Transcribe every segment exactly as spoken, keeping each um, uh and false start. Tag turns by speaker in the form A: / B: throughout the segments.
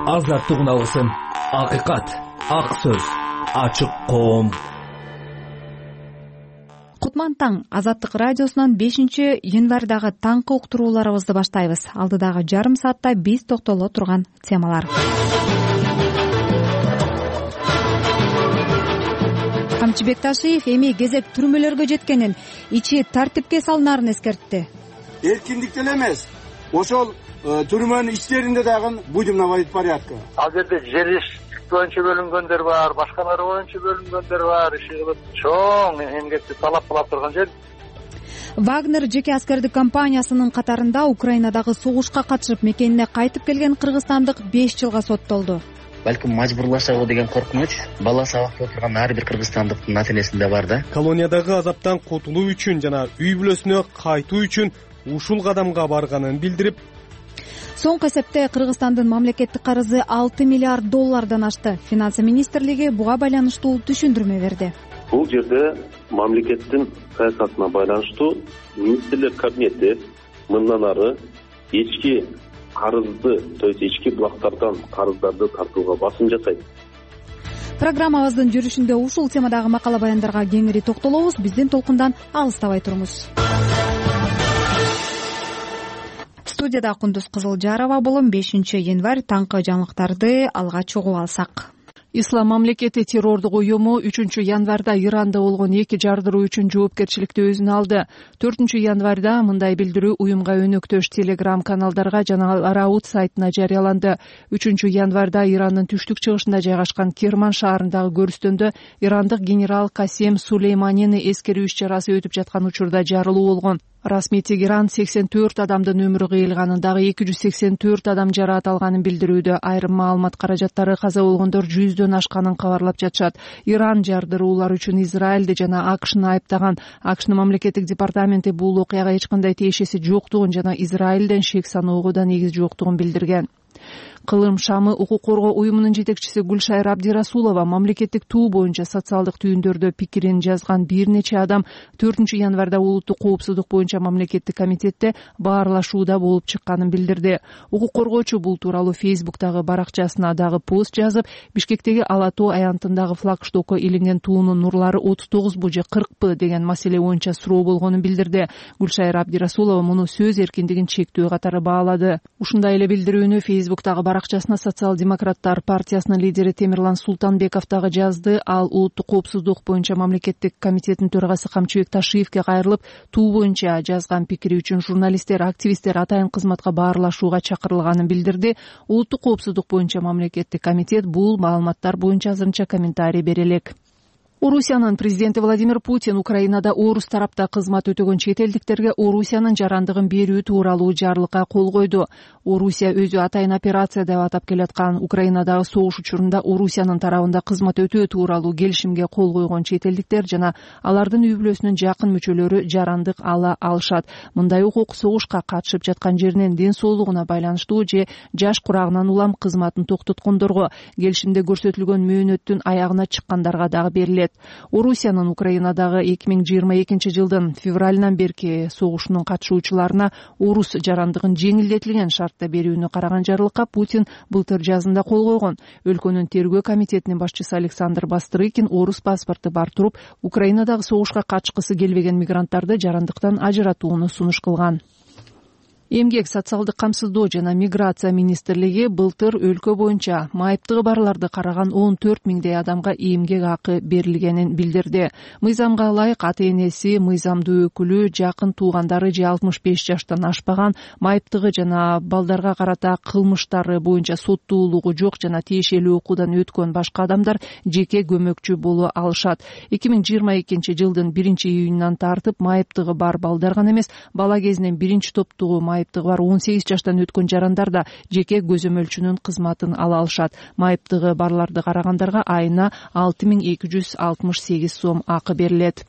A: азаттык уналысын. Акыйкат, ак сөз, ачык коом.
B: Кутман таң. Азаттык радиосунан бешинчи январдагы таңкы уктурууларыбызды баштайбыз. Алдыдагы жарым саатта биз токтоло турган темалар. Камчыбек Ташиев эми кезек түрмөлөргө жеткенин, ичи тартипке салынаарын эскертти.
C: Эркиндик деле эмес, ошол түрмөнүн ичтеринде дагы будемновый порядка.
D: Ал жерде жер иш боюнча бөлүнгөндөр бар, башкалары боюнча бөлүнгөндөр бар, иши кылып чоң эмгекти талап кылып турган жер.
B: Вагнер жеке аскердик компаниясынын катарында Украинадагы согушка катышып мекенине кайтып келген кыргызстандык беш жылга соттолду.
E: Балким мажбурлашабы деген коркунуч бала сабакта отурган ар бир кыргызстандыктын ата-энесинде бар да.
F: Колониядагы азаптан кутулуу үчүн жана үй бүлөсүнө кайтуу үчүн ушул кадамга барганын билдирип,
B: соңку эсепте Кыргызстандын мамлекеттик карызы алты миллиард доллардан ашты. Финансы министрлиги буга байланыштуу түшүндүрмө берди.
G: Бул жерде мамлекеттин саясатына байланыштуу министрлер кабинети мындан ары ички карызды, то есть ички булактардан карыздарды тартууга басым жасайт.
B: Программабыздын жүрүшүндө ушул темадагы макала баяндарга кеңири токтолобуз. Биздин толкундан алыстабай туруңуз. Студияда Кундуз Кызылжарова болом. бешинчи январь таңкы жаңылыктарды алгач угуп алсак.
H: Ислам мамлекети террордук уюму үчүнчү январда Иранда болгон эки жардыруу үчүн жоопкерчиликти өзүнө алды. төртүнчү январда мындай билдирүү уюмга өнөктөш телеграм каналдарга жана Араут сайтына жарыяланды. үчүнчү январда Ирандын түштүк чыгышында жайгашкан Керман шаарындагы көрүстөндө ирандык генерал Касем Сулейманини эскерүү иш-чарасы өтүп жаткан учурда жарылуу болгон. Расмий Тегеран сексен төрт адамдын өмүрү кыйылганын, дагы эки жүз сексен төрт адам жараат алганын билдирүүдө. Айрым маалымат каражаттары каза болгондор жүздөн ашканын кабарлап жатышат. Иран жардыруулар үчүн Израилди жана АКШны айыптаган. АКШнын мамлекеттик департаменти бул окуяга эч кандай тиешеси жоктугун жана Израилден шек саноого да негиз жоктугун билдирген. Кылым Шамы укук коргоо уюмунун жетекчиси Гүлшайыр Абдирасулова мамлекеттик туу боюнча социалдык түйүндөрдө пикирин жазган бир нече адам төртүнчү январда улуттук коопсуздук боюнча мамлекеттик комитетте баарлашууда болуп чыкканын билдирди. Укук коргоочу бул тууралуу Фейсбуктагы баракчасына дагы пост жазып, Бишкектеги Ала Тоо аянтындагы флагштокко илинген туунун нурлары отуз тогузбу же кыркпы деген маселе боюнча суроо болгонун билдирди. Гүлшайыр Абдирасулова муну сөз эркиндигин чектөө катары баалады. Ушундай эле билдирүүнү Фейсбуктагы баракчасына социал-демократтар партиясынын лидери Темирлан Султанбеков дагы жазды. Ал улуттук коопсуздук боюнча мамлекеттик комитеттин төрагасы Камчыбек Ташиевке кайрылып, туу боюнча жазган пикири үчүн журналисттер, активисттер атайын кызматка баарлашууга чакырылганын билдирди. Улуттук коопсуздук боюнча мамлекеттик комитет бул маалыматтар боюнча азырынча комментарий бере элек. Орусиянын президенти Владимир Путин Украинада орус тарапта кызмат өтөгөн чет элдиктерге Орусиянын жарандыгын берүү тууралуу жарлыкка кол койду. Орусия өзү атайын операция деп атап келаткан Украинадагы согуш учурунда Орусиянын тарабында кызмат өтөө тууралуу келишимге кол койгон чет элдиктер жана алардын үй бүлөсүнүн жакын мүчөлөрү жарандык ала алышат. Мындай укук согушка катышып жаткан жеринин ден соолугуна байланыштуу же жаш курагынан улам кызматын токтоткондорго, келишимде көрсөтүлгөн мөөнөттүн аягына чыккандарга дагы берилет. Орусиянын Украинадагы эки миң жыйырма экинчи жылдын февралынан берки согушунун катышуучуларына орус жарандыгын жеңилдетилген шартта берүүнү караган жарлыкка Путин былтыр жазында кол койгон. Өлкөнүн тергөө комитетинин башчысы Александр Бастрыкин орус паспорту бар туруп, Украинадагы согушка катышкысы келбеген мигранттарды жарандыктан ажыратууну сунуш кылган. Эмгек, социалдык камсыздоо жана миграция министрлиги былтыр өлкө боюнча майыптыгы барларды караган он төрт миңдей адамга эмгек акы берилгенин билдирди. Мыйзамга ылайык ата-энеси, мыйзамдуу өкүлү, жакын туугандары же алтымыш беш жаштан ашпаган, майыптыгы жана балдарга карата кылмыштары боюнча соттуулугу жок жана тиешелүү окуудан өткөн башка адамдар жеке көмөкчү боло алышат. эки миң жыйырма экинчи жылдын биринчи июнунан тартып майыптыгы бар балдар гана эмес, бала кезинен биринчи топтогу майыптыгы бар он сегиз жаштан өткөн жарандар да жеке көзөмөлчүнүн кызматын ала алышат. Майыптыгы барларды карагандарга айына алты миң эки жүз алтымыш сегиз сом акы берилет.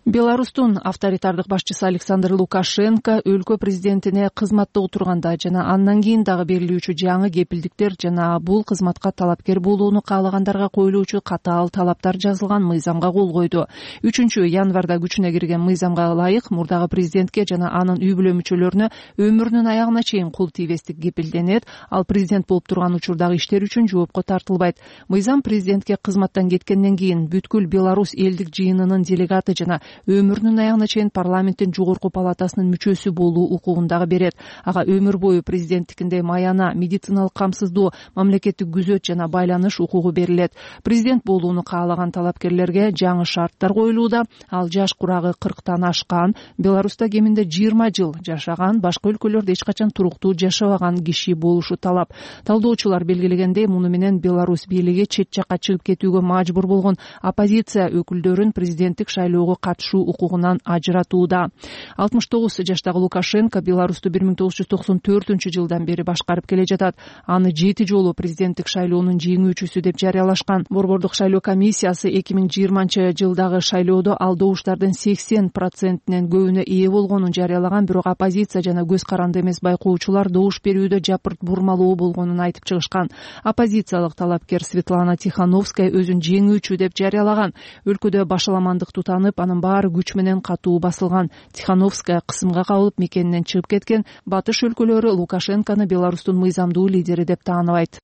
H: Беларустун авторитардык башчысы Александр Лукашенко өлкө президентине кызматта отурганда жана андан кийин дагы берилүүчү жаңы кепилдиктер жана бул кызматка талапкер болууну каалагандарга коюлуучу катаал талаптар жазылган мыйзамга кол койду. үчүнчү январда күчүнө кирген мыйзамга ылайык мурдагы президентке жана анын үй бүлө мүчөлөрүнө өмүрүнүн аягына чейин кул тийбестик кепилденет. Ал президент болуп турган учурдагы иштер үчүн жоопко тартылбайт. Мыйзам президентке кызматтан кеткенден кийин бүткүл Беларусь элдик жыйынынын делегаты жана өмүрүнүн аягына чейин парламенттин жогорку палатасынын мүчөсү болуу укугун дагы берет. Ага өмүр бою президенттикиндей маяна, медициналык камсыздоо, мамлекеттик күзөт жана байланыш укугу берилет. Президент болууну каалаган талапкерлерге жаңы шарттар коюлууда. Ал жаш курагы кырктан ашкан, Беларуста кеминде жыйырма жыл жашаган, башка өлкөлөрдө эч качан туруктуу жашабаган киши болушу талап. Талдоочулар белгилегендей, муну менен Беларусь бийлиги чет жакка чыгып кетүүгө мажбур болгон оппозиция өкүлдөрүн президенттик шайлоого катышуу укугунан ажыратууда. алтымыш тогуз жаштагы Лукашенко Беларусту бир миң тогуз жүз токсон төртүнчү жылдан бери башкарып келе жатат. Аны жети жолу президенттик шайлоонун жеңүүчүсү деп жарыялашкан. Борбордук шайлоо комиссиясы эки миң жыйырманчы жылдагы шайлоодо ал добуштардын сексен процентинен көбүнө ээ болгонун жарыялаган, бирок оппозиция жана көз каранды эмес байкоочулар добуш берүүдө жапырт бурмалоо болгонун айтып чыгышкан. Оппозициялык талапкер Светлана Тихановская өзүн жеңүүчү деп жарыялаган. Өлкөдө башаламандык тутанып, анын баары күч менен катуу басылган. Тихановская кысымга кабылып мекенинен чыгып кеткен. Батыш өлкөлөрү Лукашенкону Беларустун мыйзамдуу лидери деп тааныбайт.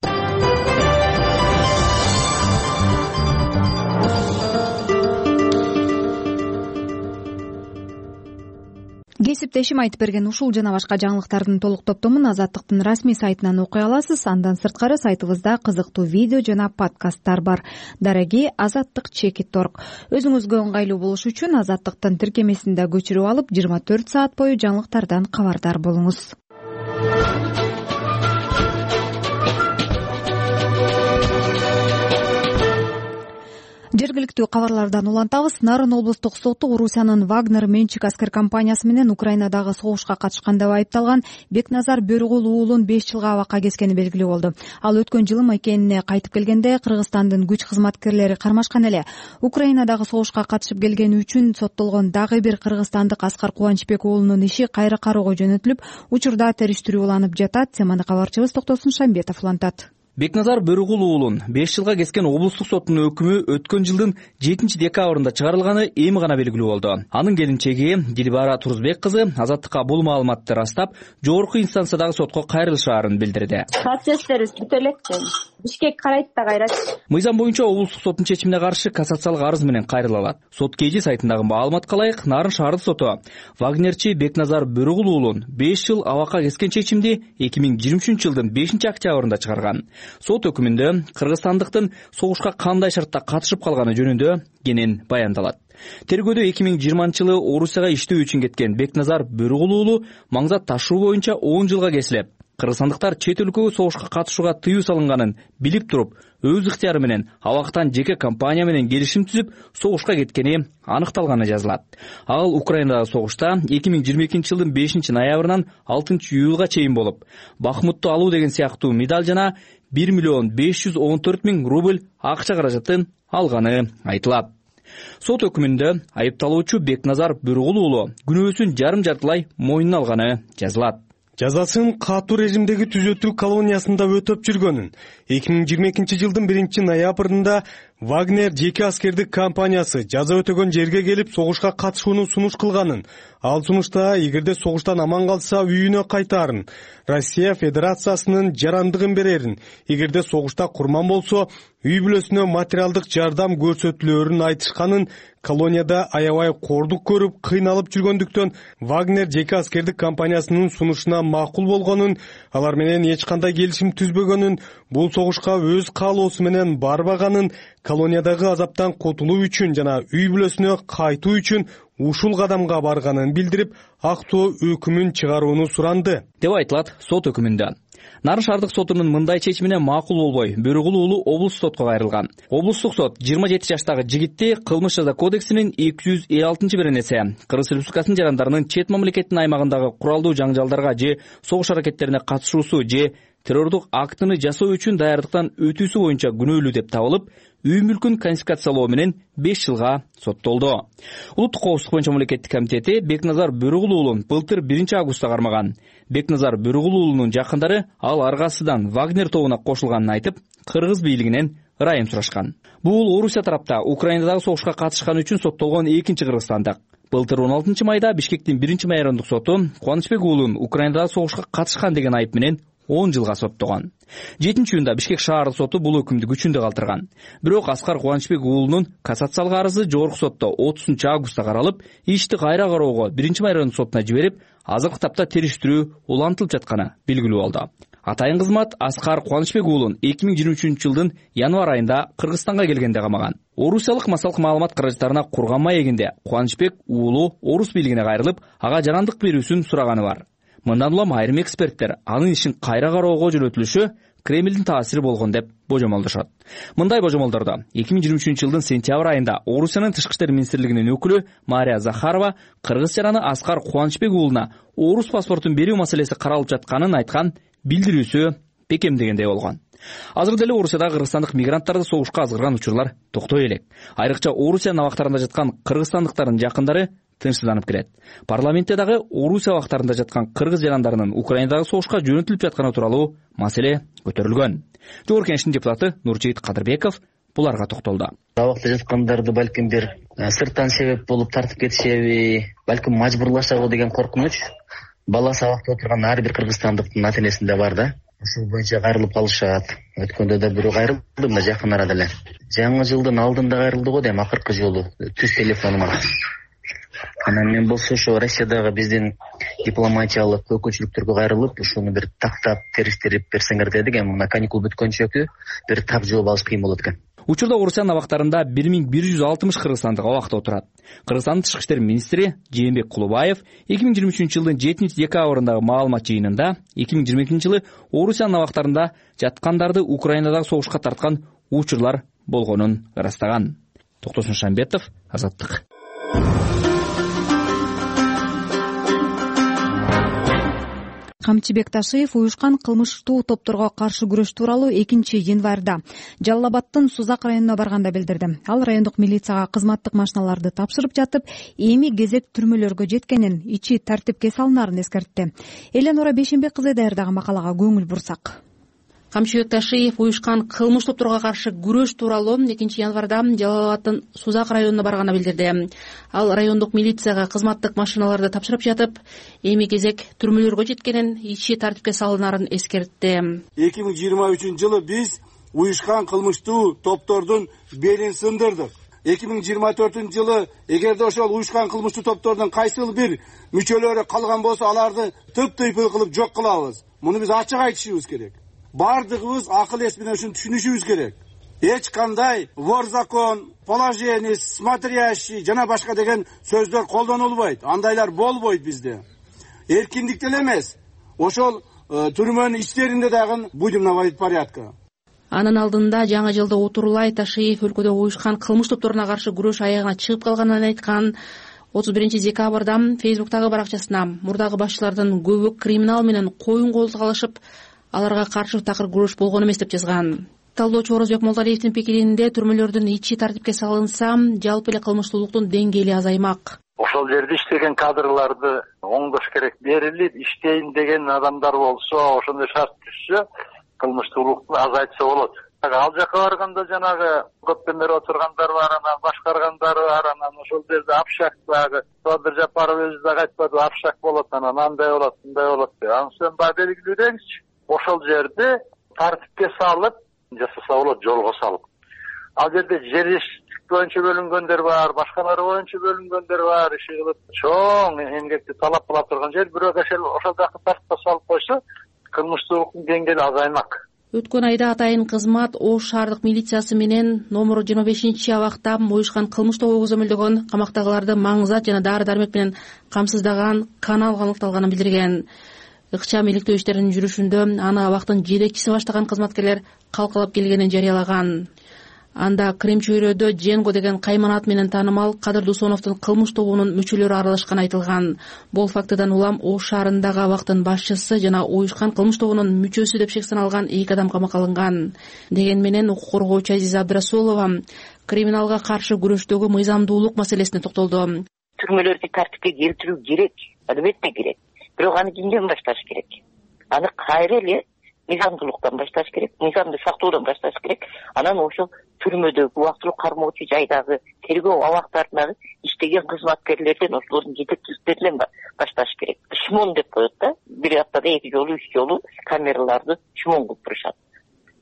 B: Кесиптешим айтып берген ушул жана башка жаңылыктардын толук топтомун Азаттыктын расмий сайтынан окуй аласыз. Андан сырткары сайтыбызда кызыктуу видео жана подкасттар бар. Дараги Азаттык чекит точка орг. Өзүңүзгө ыңгайлуу болуш үчүн Азаттыктын тиркемесинде көчүрүп алып, жыйырма төрт саат бою жаңылыктардан кабардар болуңуз. Жергиликтүү кабарлардан улантабыз. Нарын облустук соту Орусиянын Вагнер менчик аскер компаниясы менен Украинадагы согушка катышкан деп айыпталган Бекназар Бөрүгул уулун беш жылга абакка кескени белгилүү болду. Ал өткөн жылы мекенине кайтып келгенде Кыргызстандын күч кызматкерлери кармашкан эле. Украинадагы согушка катышып келгени үчүн соттолгон дагы бир кыргызстандык Аскар Кубанычбек уулунун иши кайра кароого жөнөтүлүп, учурда териштирүү уланып жатат. Теманы кабарчыбыз Токтосун Шамбетов улантат.
A: Бекназар Бөрүгул уулун беш жылга кескен облустук соттун өкүмү өткөн жылдын жетинчи декабрында чыгарылганы эми гана белгилүү болду. Анын келинчеги Дилбара Турузбек кызы Азаттыкка бул маалыматты растап, жогорку инстанциядагы сотко кайрылышаарын билдирди.
I: Процесстерибиз бүтө элек. Бишкек карайт да кайрат.
A: Мыйзам боюнча облустук соттун чечимине каршы кассациялык арыз менен кайрыла алат. Сот кежи сайтындагы маалыматка ылайык, Нарын шаардык соту Вагнерчи Бекназар Бөрүгул уулун беш жыл абакка кескен чечимди эки миң жыйырма үчүнчү жылдын бешинчи октябрында чыгарган. Сот өкүмүндө кыргызстандыктын согушка кандай шартта катышып калганы жөнүндө кенен баяндалат. Тергөөдө эки миң жыйырманчы жылы Орусияга иштөө үчүн кеткен Бекназар Бөрүгул уулу маңзат ташуу боюнча он жылга кесилип, кыргызстандыктар чет өлкөгө согушка катышууга тыюу салынганын билип туруп, өз ыктыяры менен абактан жеке компания менен келишим түзүп, согушка кеткени аныкталганы жазылат. Ал Украинадагы согушта эки миң жыйырма экинчи жылдын бешинчи ноябрынан алтынчы июлга чейин болуп, Бахмутту алуу деген сыяктуу медаль жана бир миллион беш жүз он төрт миң рубль акча каражатын алганы айтылат. Сот өкүмүндө айыпталуучу Бекназар Бөрүгул уулу күнөөсүн жарым жартылай мойнуна алганы жазылат.
F: Жазасын катуу режимдеги түзөтүү колониясында өтөп жүргөнүн эки миң жыйырма экинчи жылдын биринчи ноябрында Вагнер жеке аскердик компаниясы жаза өтөгөн жерге келип согушка катышууну сунуш кылганын, ал сунушта эгерде согуштан аман калса үйүнө кайтаарын, Россия Федерациясынын жарандыгын берерин, эгерде согушта курман болсо үй бүлөсүнө материалдык жардам көрсөтүлөөрүн айтышканын, колонияда аябай кордук көрүп кыйналып жүргөндүктөн Вагнер жеке аскердик компаниясынын сунушуна макул болгонун, алар менен эч кандай келишим түзбөгөнүн, бул согушка өз каалоосу менен барбаганын, колониядагы азаптан кутулуу үчүн жана үй бүлөсүнө кайтуу үчүн ушул кадамга барганын билдирип, актоо өкүмүн чыгарууну суранды
A: деп айтылат сот өкүмүндө. Нарын шаардык сотунун мындай чечимине макул болбой, Бөрүгул уулу облустук сотко кайрылган. Облустук сот жыйырма жети жаштагы жигитти кылмыш жаза кодексинин эки жүз элүү алтынчы беренеси Кыргыз Республикасынын жарандарынын чет мамлекеттин аймагындагы куралдуу жаңжалдарга же согуш аракеттерине катышуусу же террордук актыны жасоо үчүн даярдыктан өтүүсү боюнча күнөөлүү деп табылып, үй мүлкүн конфискациялоо менен беш жылга соттолду. Улуттук коопсуздук боюнча мамлекеттик комитети Бекназар Бөрүгул уулун былтыр биринчи августта кармаган. Бекназар Бөрүгул уулунун жакындары ал аргасыдан Вагнер тобуна кошулганын айтып, кыргыз бийлигинен ырайым сурашкан. Бул Орусия тарапта Украинадагы согушка катышканы үчүн соттолгон экинчи кыргызстандык. Былтыр он алтынчы майда Бишкектин биринчи майрандык соту Кубанычбек уулун Украинадагы согушка катышкан деген айып менен он жылга соттогон. жетинчи июнда Бишкек шаардык соту бул өкүмдү күчүндө калтырган. Бирок Аскар Кубанычбек уулунун кассациялык арызы жогорку сотто отузунчу августта каралып, ишти кайра кароого биринчи майрандык сотуна жиберип, азыркы тапта териштирүү улантылып жатканы белгилүү болду. Атайын кызмат Аскар Кубанычбек уулун эки миң жыйырма үчүнчү жылдын январь айында Кыргызстанга келгенде камаган. Орусиялык массалык маалымат каражаттарына курган маегинде Кубанычбек уулу орус бийлигине кайрылып, ага жарандык берүүсүн сураганы бар. Мындан улам айрым эксперттер анын ишин кайра кароого жөнөтүлүшү Кремлдин таасири болгон деп божомолдошот. Мындай божомолдорду эки миң жыйырма үчүнчү жылдын сентябрь айында Орусиянын Тышкы иштер министрлигинин өкүлү Мария Захарова кыргыз жараны Аскар Кубанычбек уулуна орус паспортун берүү маселеси каралып жатканын айткан билдирүүсү бекемдегендей болгон. Азыр деле Орусиядагы кыргызстандык мигранттарды согушка азгырган учурлар токтой элек. Айрыкча Орусиянын абактарында жаткан кыргызстандыктардын жакындары тынчсызданып келет. Парламентте дагы Орусия абактарында жаткан кыргыз жарандарынын Украинадагы согушка жөнөтүлүп жатканы тууралуу маселе көтөрүлгөн. Жогорку Кеңештин депутаты Нуржейит Кадырбеков буларга токтолду.
E: Абакта жаткандарды балким бир сырттан себеп болуп тартып кетишеби, балким мажбурлашабы деген коркунуч баласы абакта отурган ар бир кыргызстандыктын ата энесинде бар да. Ушул боюнча кайрылып калышат. Өткөндө да бирөө кайрылды мына жакын арада эле. Жаңы жылдын алдында кайрылды го дейм, акыркы жолу түз телефонума. Анан мен болсо ошо Россиядагы биздин дипломатиялык өкүлчүлүктөргө кайрылып, ушуну бир тактап териштирип берсеңер дедик. Эми мына каникул бүткөнчөкү бир так жооп алыш кыйын болот экен.
A: Учурда Орусиянын абактарында бир миң бир жүз алтымыш кыргызстандык абакта отурат. Кыргызстандын Тышкы иштер министри Жээнбек Кулубаев эки миң жыйырма үчүнчү жылдын жетинчи декабрындагы маалымат жыйынында эки миң жыйырма экинчи жылы Орусиянын абактарында жаткандарды Украинадагы согушка тарткан учурлар болгонун ырастаган. Токтосун Шамбетов, Азаттык.
B: Камчыбек Ташиев уюшкан кылмыштуу топторго каршы күрөш тууралуу экинчи январда Жалал Абадтын Сузак районуна барганда билдирди. Ал райондук милицияга кызматтык машиналарды тапшырып жатып, эми кезек түрмөлөргө жеткенин, ичи тартипке салынаарын эскертти. Эленора Бешенбек кызы даярдаган макалага көңүл бурсак.
J: Камчыбек Ташиев уюшкан кылмыш топторго каршы күрөш тууралуу экинчи январда Жалал Абадтын Сузак районуна барганда билдирди. Ал райондук милицияга кызматтык машиналарды тапшырып жатып, эми кезек түрмөлөргө жеткенин, ичи тартипке салынаарын эскертти.
C: эки миң жыйырма үчүнчү жылы биз уюшкан кылмыштуу топтордун белин сындырдык. эки миң жыйырма төртүнчү жылы эгерде ошол уюшкан кылмыштуу топтордун кайсыл бир мүчөлөрү калган болсо, аларды тып-тыйпыл кылып жок кылабыз. Муну биз ачык айтышыбыз керек. Бардыгыбыз акыл эс менен ушуну түшүнүшүбүз керек. Эч кандай вор закон, положение, смотрящий жана башка деген сөздөр колдонулбайт. Андайлар болбойт bizde. Эркиндик деле эмес. Ошол түрмөнүн ичтеринде дагы будем наводить порядка.
J: Анын алдында жаңы жылда Утурлай Ташиев өлкөдө уюшкан кылмыш топторуна каршы күрөш аягына чыгып калганын айткан. отуз биринчи декабрда Фейсбуктагы баракчасына мурдагы башчылардын көбү криминал менен коюн колдук алышып, аларга каршы такыр күрөш болгон эмес деп жазган. Талдоочу Орозбек Молдалиевдин пикиринде түрмөлөрдүн ичи тартипке салынса, жалпы эле кылмыштуулуктун деңгээли азаймак.
D: Ошол жерде иштеген кадрларды оңдош керек, берилип иштейин деген адамдар болсо, ошондой шарт түшсө, кылмыштуулукту азайтса болот. Ал жака барганда жанагы көптөн бери отургандар бар, анан башкаргандар бар, анан ошол жерде Апшак дагы, Садыр Жапаров өзү дагы айтпады, Апшак болот, анан андай болот, мындай болот деп. Анан сен баягы белгилүү деңизчи. Ошол жерде тартипке салып, жасаса болот, жолго салып. Ал жерде жер боюнча бөлүнгөндөр бар, башкалары боюнча бөлүнгөндөр бар, иши кылып чоң эмгекти талап кыла турган жер, бирок ошол жакты тартипке салып койсо, кылмыштуулуктун деңгээли азаймак.
J: Өткөн айда атайын кызмат Ош шаардык милициясы менен номер жыйырма бешинчи абакта уюшкан кылмыш тобу көзөмөлдөгөн камактагыларды маңзат жана дары-дармек менен камсыздаган канал аныкталганын билдирген. Ыкчам иликтөө иштеринин жүрүшүндө аны абактын жетекчиси баштаган кызматкерлер калкалап келгенин жарыялаган. Анда Крем чөйрөдө Дженго деген кайман ат менен таанымал Кадыр Дусоновдун кылмыш тобунун мүчөлөрү аралашканы айтылган. Бул фактыдан улам Ош шаарындагы абактын башчысы жана уюшкан кылмыш тобунун мүчөсү деп шек саналган эки адам камакка алынган. Деген менен укук коргоочу Азиза Абдрасулова криминалга каршы күрөштөгү мыйзамдуулук маселесине токтолду.
K: Түрмөлөрдү тартипке келтирүү керек, албетте керек. Бирок аны кимден башташ керек? Аны кайра эле мыйзамдуулуктан башташ керек, мыйзамды сактоодон башташ керек. Анан ошол түрмөдөгү убактылуу кармоочу жайдагы тергөө абактарындагы иштеген кызматкерлерден, ошолордун жетекчиликтеринен башташ керек. Шмон деп коет да, бир аптада эки жолу, үч жолу камераларды шмон кылып турушат.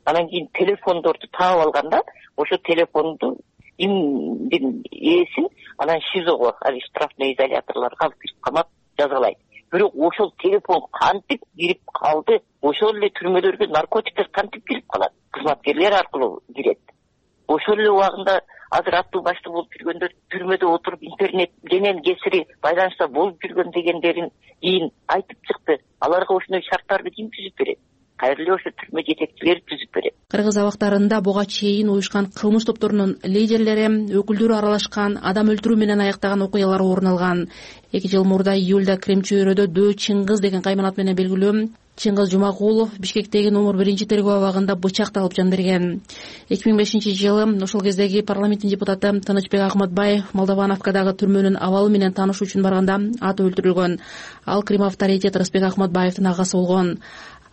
K: Анан кийин телефондорду таап алганда, ошо телефонду имдин ээсин анан ШИЗОго, ал штрафный изоляторлорго алып кирип камап жазалайт. Бирок ошол телефон кантип кирип калды, ошол эле түрмөлөргө наркотиктер кантип кирип калат? Кызматкерлер аркылуу кирет. Ошол эле убагында азыр аттуу башты болуп жүргөндөр түрмөдө отуруп интернет менен кесири байланышта болуп жүргөн дегендерин кийин айтып чыкты. Аларга ошондой шарттарды ким түзүп берет? Кайра эле ошо түрмө жетекчилери түзүп берет.
J: Кыргыз абактарында буга чейин уюшкан кылмыш топторунун лидерлери, өкүлдөрү аралашкан, адам өлтүрүү менен аяктаган окуялар орун алган. эки жыл мурда июлда Крем чөйрөдө Дөө Чыңгыз деген кайманат менен белгилүү Чыңгыз Жумагулов Бишкектеги номер биринчи тергөө абагында бычакталып жан берген. эки миң бешинчи жылы ошол кездеги парламенттин депутаты Тынычбек Ахматбаев Молдовановкадагы түрмөнүн абалы менен таанышуу үчүн барганда аты өлтүрүлгөн. Ал Крим авторитет Рысбек Ахматбаевдин агасы болгон.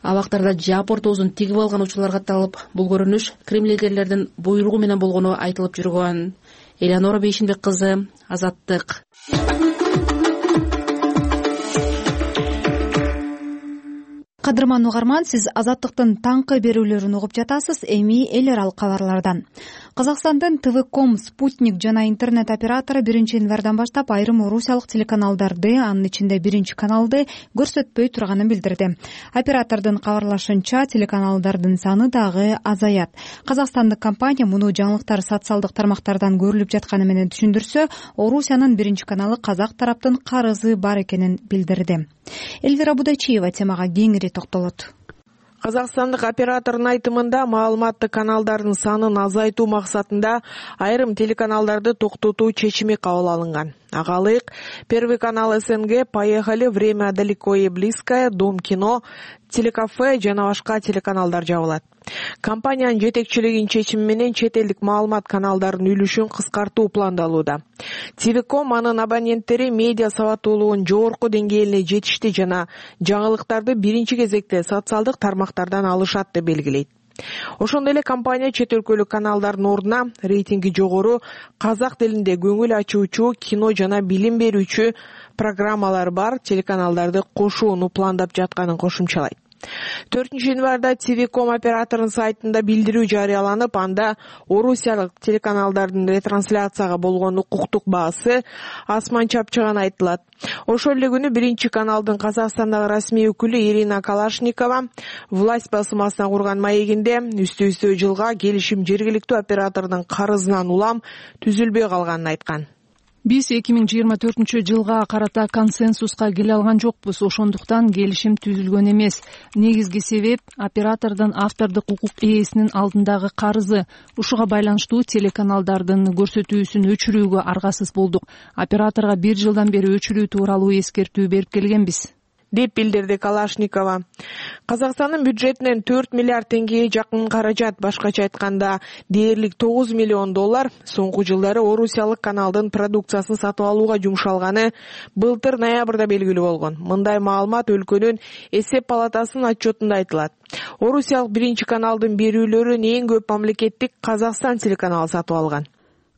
J: Абактарда жаап ортосун тигип алган учурлар катталып, бул көрүнүш Крим лидерлердин буйругу менен болгону айтылып жүргөн. Элеонора Бейшимбек кызы, Азаттык.
B: Кадырман угарман, сиз Азаттыктын таңкы берүүлөрүн угуп жатасыз. Эми эл аралык кабарлардан. Казакстандын ТВ.ком, Спутник жана интернет оператору биринчи январдан баштап айрым орусиялык телеканалдарды, анын ичинде биринчи каналды көрсөтпөй турганын билдирди. Оператордун кабарлашынча, телеканалдардын саны дагы азаят. Казакстандык компания муну жаңылыктар социалдык тармактардан көрүлүп жатканы менен түшүндүрсө, Орусиянын биринчи каналы казак тараптын карызы бар экенин билдирди. Элвира Будачиева темага кеңири токтолот.
L: Казакстандык оператордун айтымында маалыматтык каналдардын санын азайтуу максатында айрым телеканалдарды токтотуу чечими кабыл алынган. Ага ылайык Первый канал СНГ, Поехали, Время далеко и близкое, Дом кино, Телекафе жана башка телеканалдар жабылат. Компаниянын жетекчилигинин чечими менен чет элдик маалымат каналдарынын үлүшүн кыскартуу пландалууда. ТВ.ком анын абоненттери медиа сабаттуулугунун жогорку деңгээлине жетишти жана жаңылыктарды биринчи кезекте социалдык тармактардан алышат деп белгилейт. Ошондой эле компания чет өлкөлүк каналдардын ордуна рейтинги жогору, казак тилинде көңүл ачуучу, кино жана билим берүүчү программалар бар телеканалдарды кошууну пландап жатканын кошумчалайт. төртүнчү январда ТВ.ком операторунун сайтында билдирүү жарыяланып, анда орусиялык телеканалдардын ретрансляцияга болгон укуктук баасы асман чапчыган айтылат. Ошол эле күнү биринчи каналдын Казакстандагы расмий өкүлү Ирина Калашникова власть басмасына курган маегинде үстү-үстү жылга келишим жергиликтүү оператордун карызынан улам түзүлбөй калганын айткан.
H: Биз эки миң жыйырма төртүнчү жылга карата консенсуска келе алган жокпуз, ошондуктан келишим түзүлгөн эмес. Негизги себеп оператордун автордук укук ээсинин алдындагы карызы. Ушуга байланыштуу телеканалдардын көрсөтүүсүн өчүрүүгө аргасыз болдук. Операторго бир жылдан бери өчүрүү тууралуу эскертүү берип келгенбиз,
L: деп билдирди Калашникова. Казакстандын бюджетинен төрт миллиард теңгеге жакын каражат, башкача айтканда дээрлик тогуз миллион доллар соңку жылдары орусиялык каналдын продукциясын сатып алууга жумшалганы былтыр ноябрда белгилүү болгон. Мындай маалымат өлкөнүн эсеп палатасынын отчетунда айтылат. Орусиялык биринчи каналдын берүүлөрүн эң көп мамлекеттик Казакстан телеканалы сатып алган.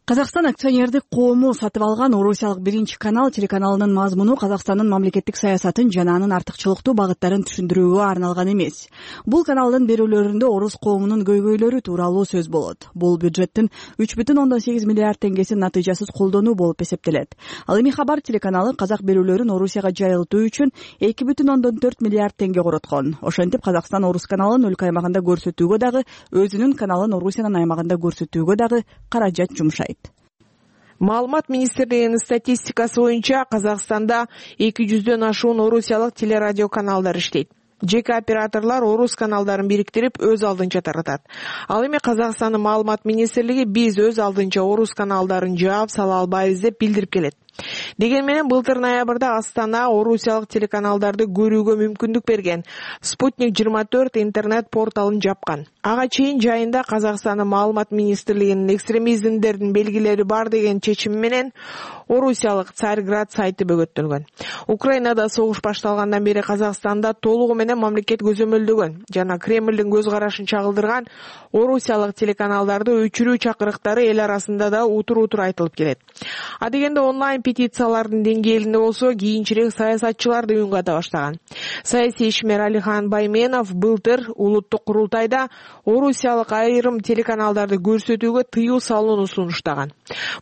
M: Казакстан акционердик коому сатып алган Орусиялык биринчи канал телеканалынын мазмуну Казакстандын мамлекеттик саясатын жана анын артыкчылыктуу багыттарын түшүндүрүүгө арналган эмес. Бул каналдын берүүлөрүндө орус коомунун көйгөйлөрү тууралуу сөз болот. Бул бюджеттин үч бүтүн ондон сегиз миллиард теңгесин натыйжасыз колдонуу болуп эсептелет. Ал эми Хабар телеканалы казак берүүлөрүн Орусияга жайылтуу үчүн эки бүтүн ондон төрт миллиард теңге короткон. Ошентип Казакстан Орус каналын өлкө аймагында көрсөтүүгө дагы, өзүнүн каналын Орусиянын аймагында көрсөтүүгө дагы каражат жумшайт.
L: Маалымат министрлигинин статистикасы боюнча Казакстанда эки жүздөн ашуун орусиялык телерадио каналдар иштейт. Жеке операторлор орус каналдарын бириктирип өз алдынча таратат. Ал эми Казакстандын маалымат министрлиги биз өз алдынча орус каналдарын жаап сала албайбыз деп билдирип келет. Деген менен былтыр ноябрда Астана орусиялык телеканалдарды көрүүгө мүмкүндүк берген Спутник жыйырма төрт интернет порталын жапкан. Ага чейин жайында Казакстандын маалымат министрлигинин экстремизмдердин белгилери бар деген чечими менен орусиялык Царьград сайты бөгөттөлгөн. Украинада согуш башталгандан бери Казакстанда толугу менен мамлекет көзөмөлдөгөн жана Кремлдин көз карашын чагылдырган орусиялык телеканалдарды өчүрүү чакырыктары эл арасында да утур-утур айтылып келет. А дегенде онлайн петициялардын деңгээлинде болсо кийинчерээк саясатчылар да үн ката баштаган. Саясий ишмер Алихан Байменов былтыр улуттук курултайда орусиялык айрым телеканалдарды көрсөтүүгө тыюу салууну сунуштаган.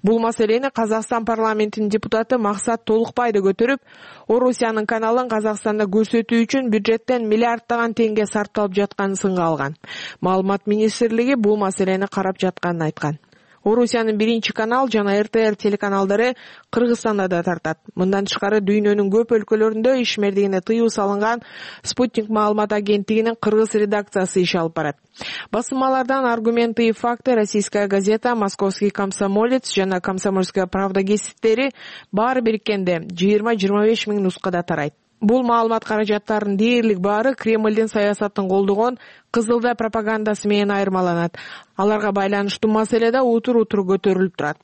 L: Бул маселени Казакстан парламентинин депутаты Максат Толукбай да көтөрүп, Орусиянын каналын Казакстанда көрсөтүү үчүн бюджеттен миллиарддаган теңге сарпталып жатканын сынга алган. Маалымат министрлиги бул маселени карап жатканын айткан. Орусиянын биринчи канал жана эр тэ эр телеканалдары Кыргызстанда да тартат. Мындан тышкары дүйнөнүн көп өлкөлөрүндө ишмердигине тыюу салынган Спутник маалымат агенттигинин кыргыз редакциясы иш алып барат. Басылмалардан «Аргументы и факты», «Российская газета», «Московский комсомолец» жана «Комсомольская правда» гезиттери баары бириккенде жыйырма жыйырма беш миң нускада тарайт. Бул маалымат каражаттарынын дээрлик баары Кремлдин саясатын колдогон Кызылда пропагандасы менен айырмаланат. Аларга байланыштуу маселе да утур-утур көтөрүлүп турат.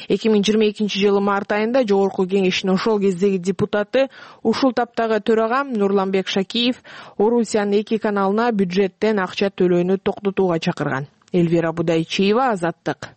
L: эки миң жыйырма экинчи жылы март айында Жогорку Кеңештин ошол кездеги депутаты, ушул таптагы төрагам Нурланбек Шакиев Орусиянын эки каналына бюджеттен акча төлөөнү токтотууга чакырган. Элвира Будайчиева, Азаттык.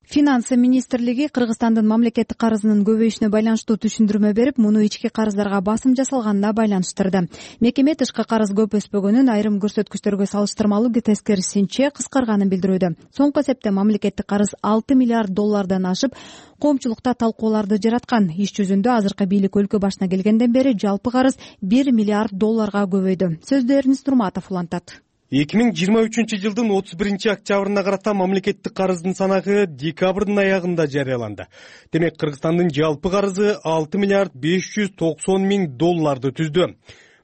B: Финансы министрлиги Кыргызстандын мамлекеттик карызынын көбөйүшүнө байланыштуу түшүндүрмө берип, муну ички карыздарга басым жасалганына байланыштырды. Мекеме тышкы карыз көп өспөгөнүн, айрым көрсөткүчтөргө салыштырмалуу тескерисинче кыскарганын билдирүүдө. Соңку эсепте мамлекеттик карыз алты миллиард доллардан ашып, коомчулукта талкууларды жараткан. Иш жүзүндө азыркы бийлик өлкө башына келгенден бери жалпы карыз бир миллиард долларга көбөйдү. Сөздү Эрнис Нурматов улантат.
F: эки миң жыйырма үчүнчү жылдын отуз биринчи октябрына карата мамлекеттик карыздын санагы декабрдын аягында жарыяланды. Демек, Кыргызстандын жалпы карызы алты миллиард беш жүз токсон миң долларды түздү.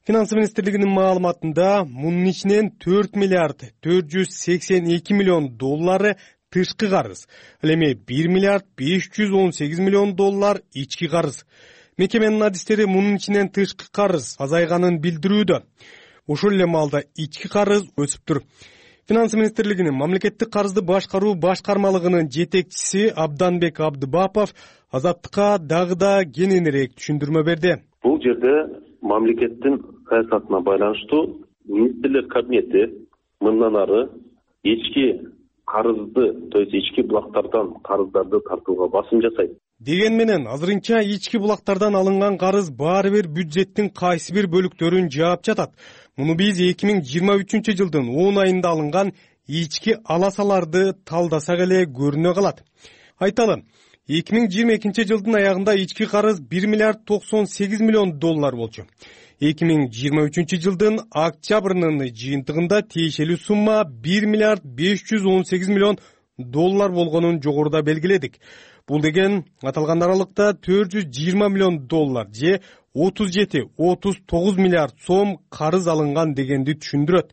F: Финансы министрлигинин маалыматында мунун ичинен төрт миллиард төрт жүз сексен эки миллион доллары тышкы карыз, ал эми бир миллиард беш жүз он сегиз миллион доллар ички карыз. Мекеменин адистери мунун ичинен тышкы карыз азайганын билдирүүдө. Ошол эле маалда ички карыз өсүптүр. Финансы министрлигинин мамлекеттик карызды башкаруу башкармалыгынын жетекчиси Абданбек Абдыбапов Азаттыкка дагы да кененирээк түшүндүрмө берди.
G: Бул жерде мамлекеттин саясатына байланыштуу министрлер кабинети мындан ары ички карызды, то есть ички булактардан карыздарды тартууга басым жасайт.
F: Деген менен азырынча ички булактардан алынган карыз баары бир бюджеттин кайсы бир бөлүктөрүн жаап жатат. Муну биз эки миң жыйырма үчүнчү жылдын он айында алынган ички аласаларды талдасак эле көрүнө калат. Айталы, эки миң жыйырма экинчи жылдын аягында ички карыз бир миллиард токсон сегиз миллион доллар болчу. эки миң жыйырма үчүнчү жылдын октябрынын жыйынтыгында тиешелүү сумма бир миллиард беш жүз он сегиз миллион доллар болгонун жогоруда белгиледик. Бул деген аталган аралыкта төрт жүз жыйырма миллион доллар же отуз жети отуз тогуз миллиард сом карыз алынган дегенди түшүндүрөт.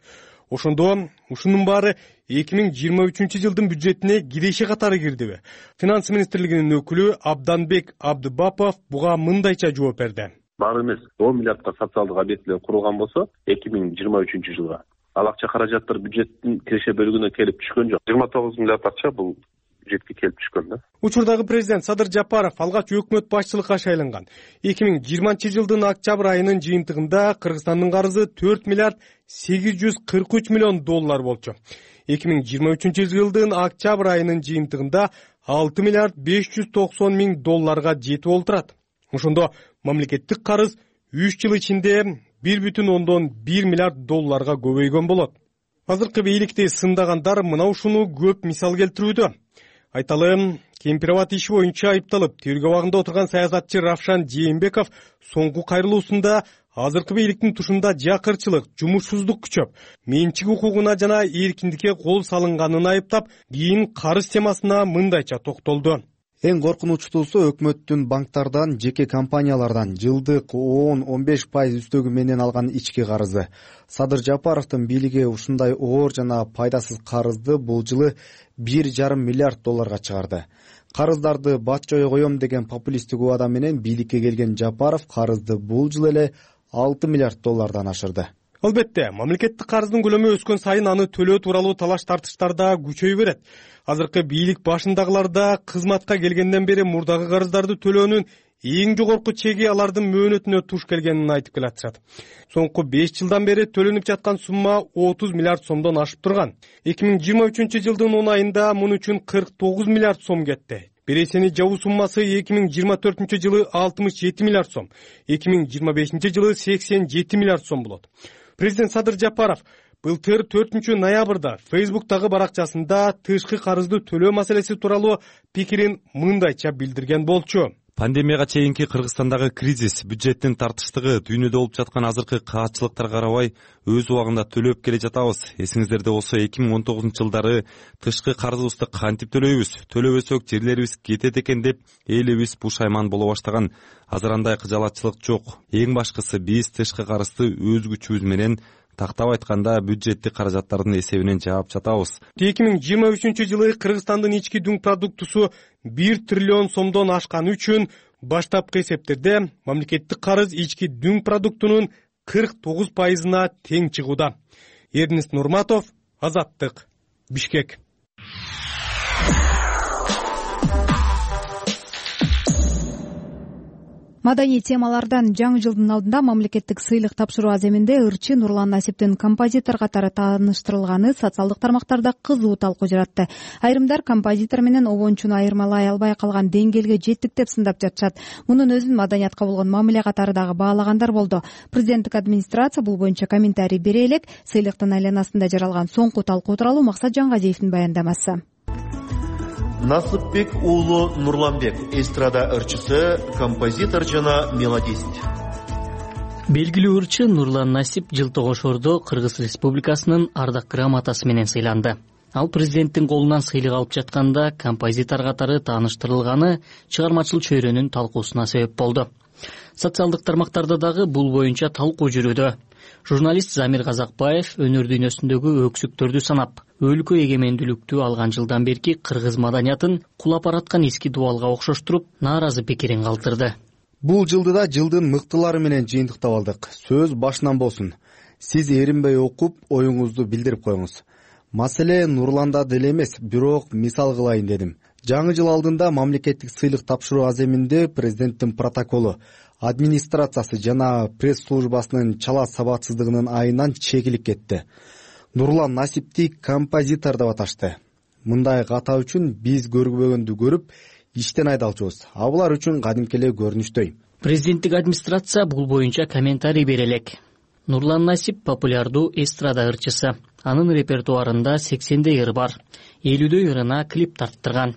F: Ошондо ушунун баары эки миң жыйырма үчүнчү жылдын бюджетине киреше катары кирдиби? Финансы министрлигинин өкүлү Абданбек Абдыбапов буга мындайча жооп берди.
G: Баары эмес, он миллиардка социалдык объектилер курулган болсо, эки миң жыйырма үчүнчү жылга ал акча каражаттар бюджеттин киреше бөлүгүнө келип түшкөн жок. жыйырма тогуз миллиард акча бул бюджетке келип түшкөн да.
F: Учурдагы президент Садыр Жапаров алгач өкмөт башчылыкка шайланган. эки миң жыйырманчы жылдын октябрь айынын жыйынтыгында Кыргызстандын карызы төрт миллиард сегиз жүз кырк үч миллион доллар болчу. эки миң жыйырма үчүнчү жылдын октябрь айынын жыйынтыгында алты миллиард беш жүз токсон миң долларга жетип олтурат. Ошондо мамлекеттик карыз үч жыл ичинде бир бүтүн ондон бир миллиард долларга көбөйгөн болот. Азыркы бийликти сындагандар мына ушуну көп мисал келтирүүдө. Айталы, Кемпирабад иши боюнча айыпталып, тергөө абагында отурган саясатчы Равшан Жээнбеков соңку кайрылуусунда азыркы бийликтин тушунда жакырчылык, жумушсуздук күчөп, менчик укугуна жана эркиндикке кол салынганын айыптап, кийин карыз темасына мындайча токтолду.
N: Эң коркунучтуусу өкмөттүн банктардан, жеке компаниялардан жылдык он он беш пайыз үстөгү менен алган ички карызы. Садыр Жапаровдун бийлиги ушундай оор жана пайдасыз карызды бул жылы бир жарым миллиард долларга чыгарды. Карыздарды батчой коем деген популисттик убада менен бийликке келген Жапаров карызды бул жылы эле алты миллиард доллардан ашырды.
F: Албетте, мамлекеттик карыздын көлөмү өскөн сайын аны төлөө тууралуу талаш тартыштар да күчөйө берет. Азыркы бийлик башындагылар да кызматка келгенден бери мурдагы карыздарды төлөөнүн эң жогорку чеги алардын мөөнөтүнө туш келгенин айтып келатышат. Соңку беш жылдан бери төлөнүп жаткан сумма отуз миллиард сомдон ашып турган. эки миң жыйырма үчүнчү жылдын он айында муну үчүн кырк тогуз миллиард сом кетти. Бересени жабуу суммасы эки миң жыйырма төртүнчү жылы алтымыш жети миллиард сом, эки миң жыйырма бешинчи жылы сексен жети миллиард сом болот. Президент Садыр Жапаров былтыр төртүнчү ноябрда Фейсбуктагы баракчасында тышкы карызды төлөө маселеси тууралуу пикирин мындайча билдирген болчу.
O: Пандемияга чейинки Кыргызстандагы кризис, бюджеттин тартыштыгы, дүйнөдө болуп жаткан азыркы каатчылыктарга карабай өз убагында төлөп келе жатабыз. Эсиңиздерде болсо эки миң он тогузунчу жылдары тышкы карызыбызды кантип төлөйбүз, төлөбөсөк жерлерибиз кетет экен деп элибиз пушайман боло баштаган. Азыр андай кыжалатчылык жок. Эң башкысы биз тышкы карызды өз күчүбүз менен, тактап айтканда бюджеттик каражаттардын эсебинен жаап жатабыз.
F: эки миң жыйырма үчүнчү жылы Кыргызстандын ички дүң продуктусу бир триллион сомдон ашканы үчүн баштапкы эсептерде мамлекеттик карыз ички дүң продуктунун кырк тогуз пайызына тең чыгууда. Эрнест Нурматов, Азаттык, Бишкек.
B: Маданий темалардан жаңы жылдын алдында мамлекеттик сыйлык тапшыруу аземинде ырчы Нурлан Насиптин композитор катары тааныштырылганы социалдык тармактарда кызуу талкуу жаратты. Айрымдар композитор менен обончуну айырмалай албай калган деңгээлге жеттик деп сындап жатышат. Мунун өзүн маданиятка болгон мамиле катары дагы баалагандар болду. Президенттик администрация бул боюнча комментарий бере элек. Сыйлыктын айланасында жаралган соңку талкуу тууралуу Максат Жангазиевдин баяндамасы.
P: Насыпбек уулу Нурланбек, эстрада ырчысы, композитор жана мелодист.
Q: Белгилүү ырчы Нурлан Насип Жылтогошордо Кыргыз Республикасынын ардак грамотасы менен сыйланды. Ал президенттин колунан сыйлык алып жатканда композитор катары тааныштырылганы чыгармачыл чөйрөнүн талкуусуна себеп болду. Социалдык тармактарда дагы бул боюнча талкуу жүрүүдө. Журналист Замир Казакбаев өнөр дүйнөсүндөгү өксүктөрдү санап, өлкө эгемендүүлүктү алган жылдан берки кыргыз маданиятын кулап бараткан эски дубалга окшоштуруп, нааразы пикирин калтырды.
N: Бул жылды да жылдын мыктылары менен жыйынтыктап алдык. Сөз башынан болсун. Сиз эринбей окуп, оюңузду билдирип коюңуз. Маселе Нурланда деле эмес, бирок мисал кылайын дедим. Жаңы жыл алдында мамлекеттик сыйлык тапшыруу аземинде президенттин протоколу, администрациясы жана пресс службасынын чала сабатсыздыгынын айынан чегилип кетти. Нурлан Насипти композитор деп аташты. Мындай ката үчүн биз көрбөгөндү көрүп, иштен айдалчубуз. А булар үчүн кадимки эле көрүнүштөй.
Q: Президенттик администрация бул боюнча комментарий бере элек. Нурлан Насип популярдуу эстрада ырчысы. Анын репертуарында сексендей ыр бар. элүүдөй ырына клип тарттырган.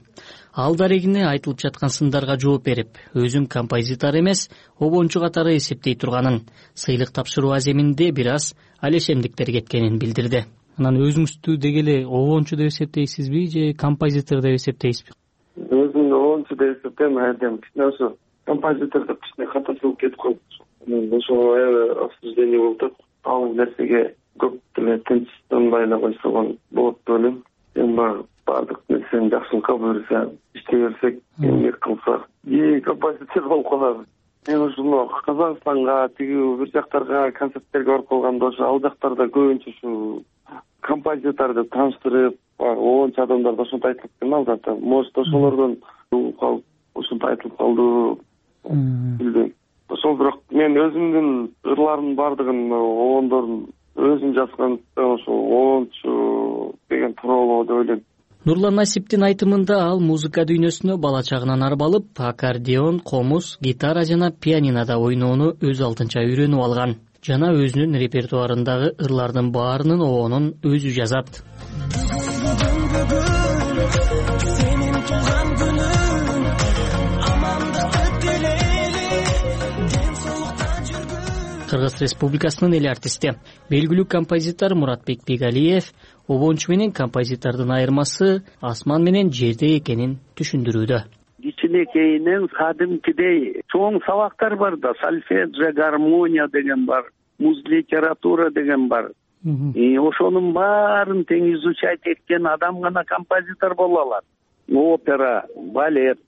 Q: Ал дарегине айтылып жаткан сындарга жооп берип, өзүм композитор эмес, обончу катары эсептей турганын, сыйлык тапшыруу аземинде бир аз алешемдиктер кеткенин билдирди. Анан өзүңүздү деги эле обончу деп эсептейсизби же композитор деп эсептейсизби?
R: Өзүмдү обончу деп эсептейм, айдем кичине ошо композитор деп кичине ката чыгып кетип калды. Ошого аябай обсуждение болуп атат. Ал нерсеге көп деле тынчсынбай эле койсо болот деп ойлойм. Эми баардык нерсени жакшылыкка буюрса, иштей берсек, эмгек кылсак, и композитор болуп калабыз. Мен ушуну Казакстанга, тиги бир жактарга концерттерге барып калганда ошо ал жактарда көбүнчө ушу композитор деп тааныштырып, обончу адамдар ошентип айтылып экен алда. Может, ошолордон калып, ошентип айтылып калды. Билбейм. Ошол бирок мен өзүмдүн ырларымдын баардыгын обондордун өзүм жазгандыктан ошо обончу деген туура болобу деп ойлойм.
Q: Нурлан Насиптин айтымында ал музыка дүйнөсүнө бала чагынан арбалып, аккордеон, комуз, гитара жана пианинода ойноону өз алдынча үйрөнүп алган. Жана өзүнүн репертуарындагы ырлардын баарынын обонун өзү жазат. Кыргыз Республикасынын эл артисти, белгилүү композитор Муратбек Бигалиев обончу менен композитордун айырмасы асман менен жерде экенин түшүндүрүүдө.
S: кичинекейинен кадимкидей чоң сабактар бар да, сольфеджио, гармония деген бар, муз литература деген бар. Ошонун баарын тең изучать эткен адам гана композитор боло алат. Опера, балет,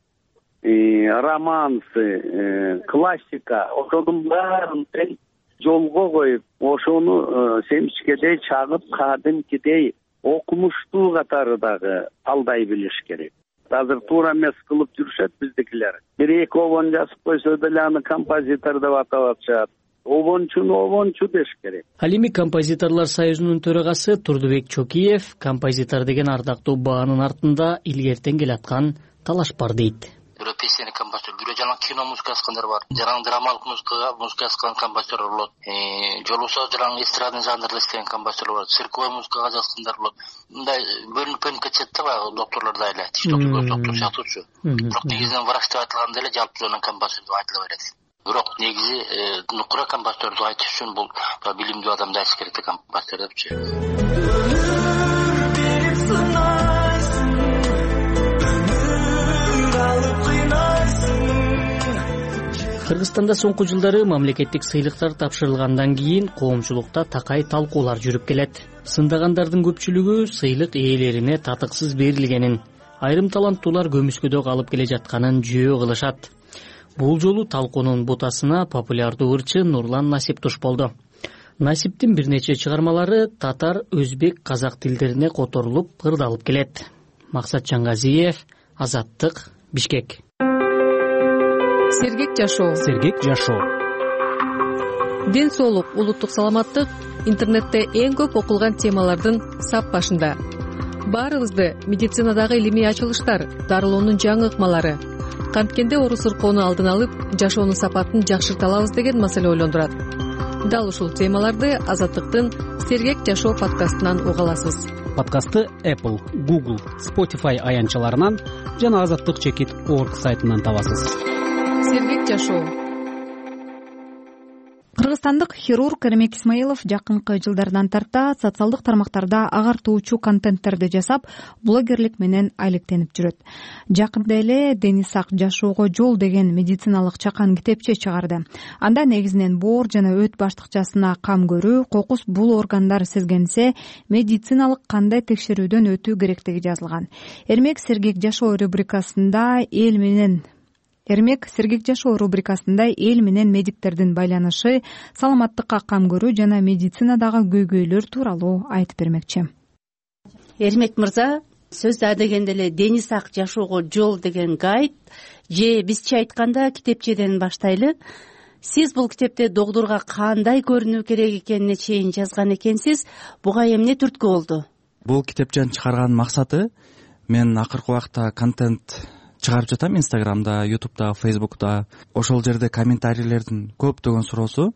S: романсы, классика, ошонун баарын тең жолго коюп, ошону семчкедей чагып, кадимкидей окумуштуу катары дагы алдай билиш керек. Азыр туура эмес кылып жүрүшөт биздикилер. Бир эки обон жазып койсо деле аны композитор деп атап атышат. Обончуну обончу деш керек.
Q: Ал эми композиторлор союзунун төрагасы Турдубек Чокиев композитор деген ардактуу баанын артында илгертен келаткан талаш бар дейт.
T: Бирөө песенный композитор, бирөө жанагы кино музыка жазгандар бар. Жанагы драмалык музыкага музыка жазган композиторлор болот. Жолубосо жанагы эстрадный жанрда иштеген композиторлор болот. Цирковой музыкага жазгандар болот. Мындай бөлүнүп бөлүнүп кетет да баягы доктурларда эле, тиш доктур, көз доктур сыяктуучу. Бирок негизинен врач деп айтылганда эле жалпы жөнүн композитор деп айтыла берет. Бирок негизи нукура композитор деп айтыш үчүн бул билимдүү адамды айтыш керек да композитор депчи.
Q: Кыргызстанда соңку жылдары мамлекеттик сыйлыктар тапшырылгандан кийин коомчулукта такай талкуулар жүрүп келет. Сындагандардын көпчүлүгү сыйлык ээлерине татыксыз берилгенин, айрым таланттуулар көмүскөдө калып келе жатканын жөө кылышат. Бул жолу талкуунун бутасына популярдуу ырчы Нурлан Насип туш болду. Насиптин бир нече чыгармалары татар, өзбек, казак тилдерине которулуп, ырдалып келет. Максат Чаңгазиев, Азаттык, Бишкек.
H: Сергек жашоо.
A: Сергек жашоо.
H: Ден соолук, улуттук саламаттык интернетте эң көп окулган темалардын сап башында. Баарыбызды медицинадагы илимий ачылыштар, дарылоонун жаңы ыкмалары, канткенде оору сыркоону алдын алып, жашоонун сапатын жакшырта алабыз деген маселе ойлондурат. Дал ушул темаларды Азаттыктын Сергек жашоо подкастынан уга аласыз.
A: Подкастты Apple, Google, Spotify аянтчаларынан жана азаттык чекит точка орг сайтынан табасыз.
H: Сергек жашоо.
B: Кыргызстандык хирург Эрмек Исмаилов жакынкы жылдардан тарта социалдык тармактарда агартуучу контенттерди жасап, блогерлик менен айлыктенип жүрөт. Жакында эле Дени сак жашоого жол деген медициналык чакан китепче чыгарды. Анда негизинен боор жана өт баштыкчасына кам көрүү, кокус бул органдар сезгенсе, медициналык кандай текшерүүдөн өтүү керектиги жазылган. Эрмек Сергек жашоо рубрикасында эл менен Эрмек Сергек жашоо рубрикасында эл менен медиктердин байланышы, саламаттыкка кам көрүү жана медицинадагы көйгөйлөр тууралуу айтып бермекчи.
U: Эрмек мырза, сөздү адегенде эле Дени сак жашоого жол деген гайд же бизче айтканда китепчеден баштайлы. Сиз бул китепте догдурга кандай көрүнүү керек экенине чейин жазган экенсиз. Буга эмне түрткү болду?
V: Бул китепчени чыгарганын максаты, мен акыркы убакта контент чыгарып жатам Инстаграмда, Ютубда, Фейсбукта. Ошол жерде комментарийлердин көптөгөн суроосу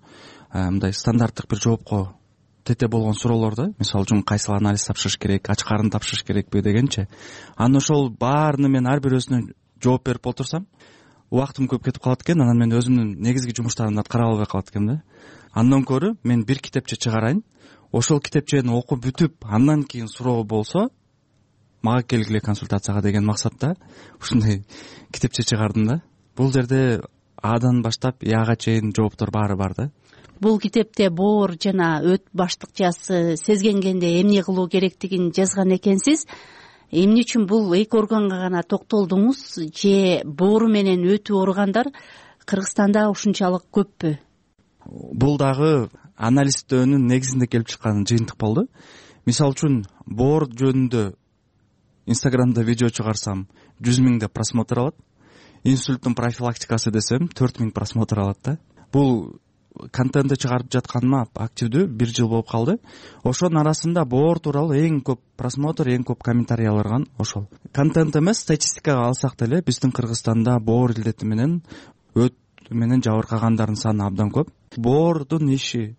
V: мындай стандарттык бир жоопко тете болгон суроолор да. Мисалы үчүн кайсыл анализ тапшырыш керек, ач карын тапшырыш керекпи дегенчи. Анан ошол баарына мен ар бирөөсүнө жооп берип отурсам, убактым көп кетип калат экен. Анан мен өзүмдүн негизги жумуштарымды аткара албай калат экенмин да. Андан көрө мен бир китепче чыгарайын. Ошол китепчени окуп бүтүп, андан кийин суроо болсо, мага келгиле консультацияга деген максатта ушундай китепче чыгардым да. Бул жерде Адан баштап Яга чейин жооптор баары бар да.
U: Бул китепте боор жана өт баштыкчасы сезгенгенде эмне кылуу керектигин жазган экенсиз. Эмне үчүн бул эки органга гана токтолдуңуз же боору менен өтүү органдар Кыргызстанда ушунчалык көппү?
V: Бул дагы анализдөөнүн негизинде келип чыккан жыйынтык болду. Мисалы үчүн боор жөнүндө Инстаграмда видео чыгарсам жүз миңде просмотр алат. Инсульттун профилактикасы десем төрт миң просмотр алат да. Бул контентти чыгарып жатканыма активдүү бир жыл болуп калды. Ошонун арасында боор тууралуу эң көп просмотр, эң көп комментарий алган ошол. Контент эмес, статистикага алсак деле биздин Кыргызстанда боор илдети менен өт менен жабыркагандардын саны абдан көп. Боордун иши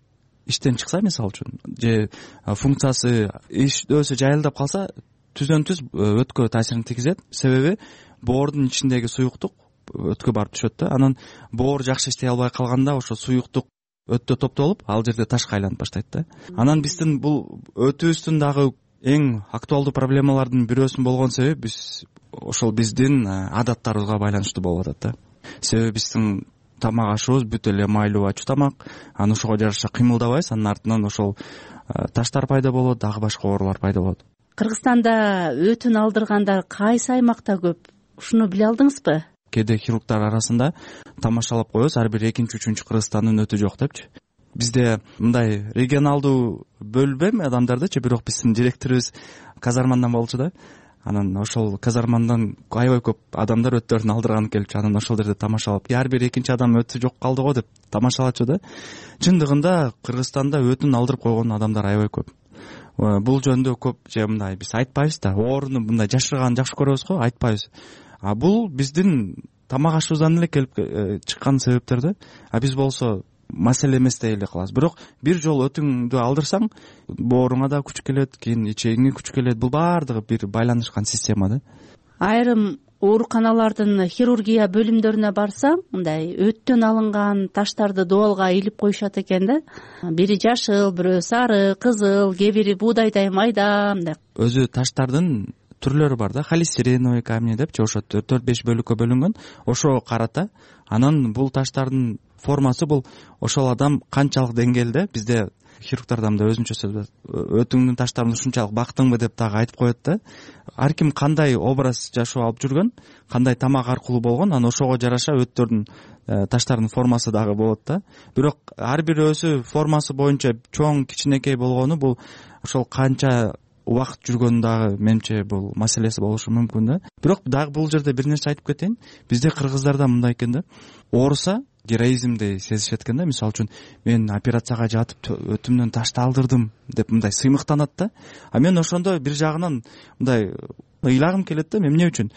V: иштен чыкса, мисалы үчүн, же функциясы ишөөсү жайылдап калса, түздөн түз өткө таасирин тийгизет. Себеби боордун ичиндеги суюктук өткө барып түшөт да. Анан боор жакшы иштей албай калганда ошо суюктук өттө топтолуп, ал жерде ташка айланып баштайт да. Анан биздин бул өтүбүздүн дагы эң актуалдуу проблемалардын бирөөсүн болгон себеби биз ошол биздин адаттарыбызга байланыштуу болуп атат да. Себеби биздин тамак ашыбыз бүт эле майлуу ачуу тамак, анан ошого жараша кыймылдабайбыз, анын артынан ошол таштар пайда болот, дагы башка оорулар пайда болот.
U: Кыргызстанда өтүн алдыргандар кайсы аймакта көп? Ушуну биле алдыңызбы?
V: Кээде хирургдар арасында тамашалап коебуз, ар бир экинчи үчүнчү Кыргызстандын өтү жок депчи. Бизде мындай регионалдуу бөлбөм адамдардычы, бирок биздин директорубуз казармандан болчу да. Анан ошол казармандан аябай көп адамдар өттөрүн алдырганы келчү. Анан ошол жерде тамашалап, ар бир экинчи адам өтү жок калды го деп тамашалачу да. Чындыгында Кыргызстанда өтүн алдырып койгон адамдар аябай көп. Бул жөнүндө көп же мындай биз айтпайбыз да, ооруну мындай жашырганды жакшы көрөбүз го, айтпайбыз. А бул биздин тамак ашыбыздан эле келип чыккан себептер да. А биз болсо маселе эмес дей эле калабыз. Бирок бир жолу өтүңдү алдырсаң, бооруңа да күч келет, кийин ичегиңе күч келет. Бул баардыгы бир байланышкан система да.
U: Айрым ооруканалардын хирургия бөлүмдөрүнө барсаң, мындай өттөн алынган таштарды дубалга илип коюшат экен да. Бири жашыл, бирөө сары, кызыл, кээ бири буудайдай майда мындай.
V: Өзү таштардын түрлөрү бар да, холестериновый камни депчи, ошо төрт беш бөлүккө бөлүнгөн. Ошого карата, анан бул таштардын формасы бул ошол адам канчалык деңгээлде, бизде хирургдардан да өзүнчө сөз, өтүңдүн таштарын ушунчалык бактыңбы деп дагы айтып коет да. Ар ким кандай образ жашоо алып жүргөн, кандай тамак аркылуу болгон, анан ошого жараша өттөрдүн таштардын формасы дагы болот да. Бирок ар бирөөсү формасы боюнча чоң, кичинекей болгону бул ошол канча убакыт жүргөнү дагы менимче бул маселеси болушу мүмкүн да. Бирок дагы бул жерде бир нерсе айтып кетейин. Бизде кыргыздарда мындай экен да. Ооруса героизмди сезишет экен да. Мисалы үчүн мен операцияга жатып өтүмдөн ташты алдырдым деп мындай сыймыктанат да. А мен ошондо бир жагынан мындай ыйлагым келет да. Эмне үчүн?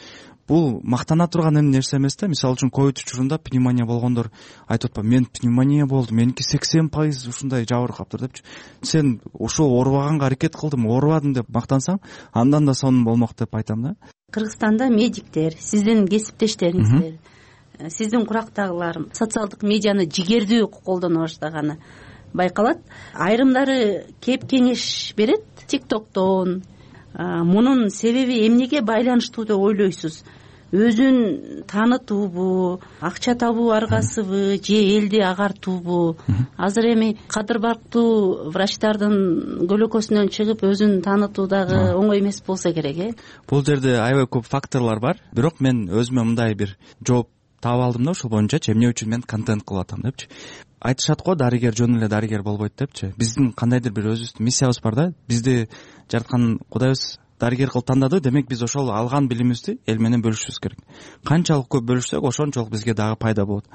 V: Бул мактана турган нерсе эмес да. Мисалы үчүн ковид учурунда пневмония болгондор айтып атпайбы, мен пневмония болду, меники сексен пайыз ушундай жабыр каптыр депчи. Сен ошол оорубаганга аракет кылдым, оорубадым деп мактансаң, андан да сонун болмок деп айтам да.
U: Кыргызстанда медиктер, сиздин кесиптештериңиздер, сиздин курактагылар социалдык медианы жигердүү колдоно баштаганы байкалат. Айрымдары кеп кеңеш берет тиктоктон. Мунун себеби эмнеге байланыштуу деп ойлойсуз? Өзүн таанытуубу, акча табуу аргасыбы, же элди агартуубу? Азыр эми кадыр барктуу врачтардын көлөкөсүнөн чыгып өзүн таанытуу дагы оңой эмес болсо керек, э?
V: Бул жерде аябай көп факторлор бар. Бирок мен өзүмө мындай бир жооп таап алдым да, ошол боюнча эмне үчүн мен контент кылып атам депчи. Айтышат го, дарыгер жөн эле дарыгер болбойт депчи. Биздин кандайдыр бир өзүбүздүн миссиябыз бар да. Бизди жараткан Кудайыбыз дарыгер кылып тандады, демек биз ошол алган билимибизди эл менен бөлүшүбүз керек. Канчалык көп бөлүшсөк, ошончолук бизге дагы пайда болот.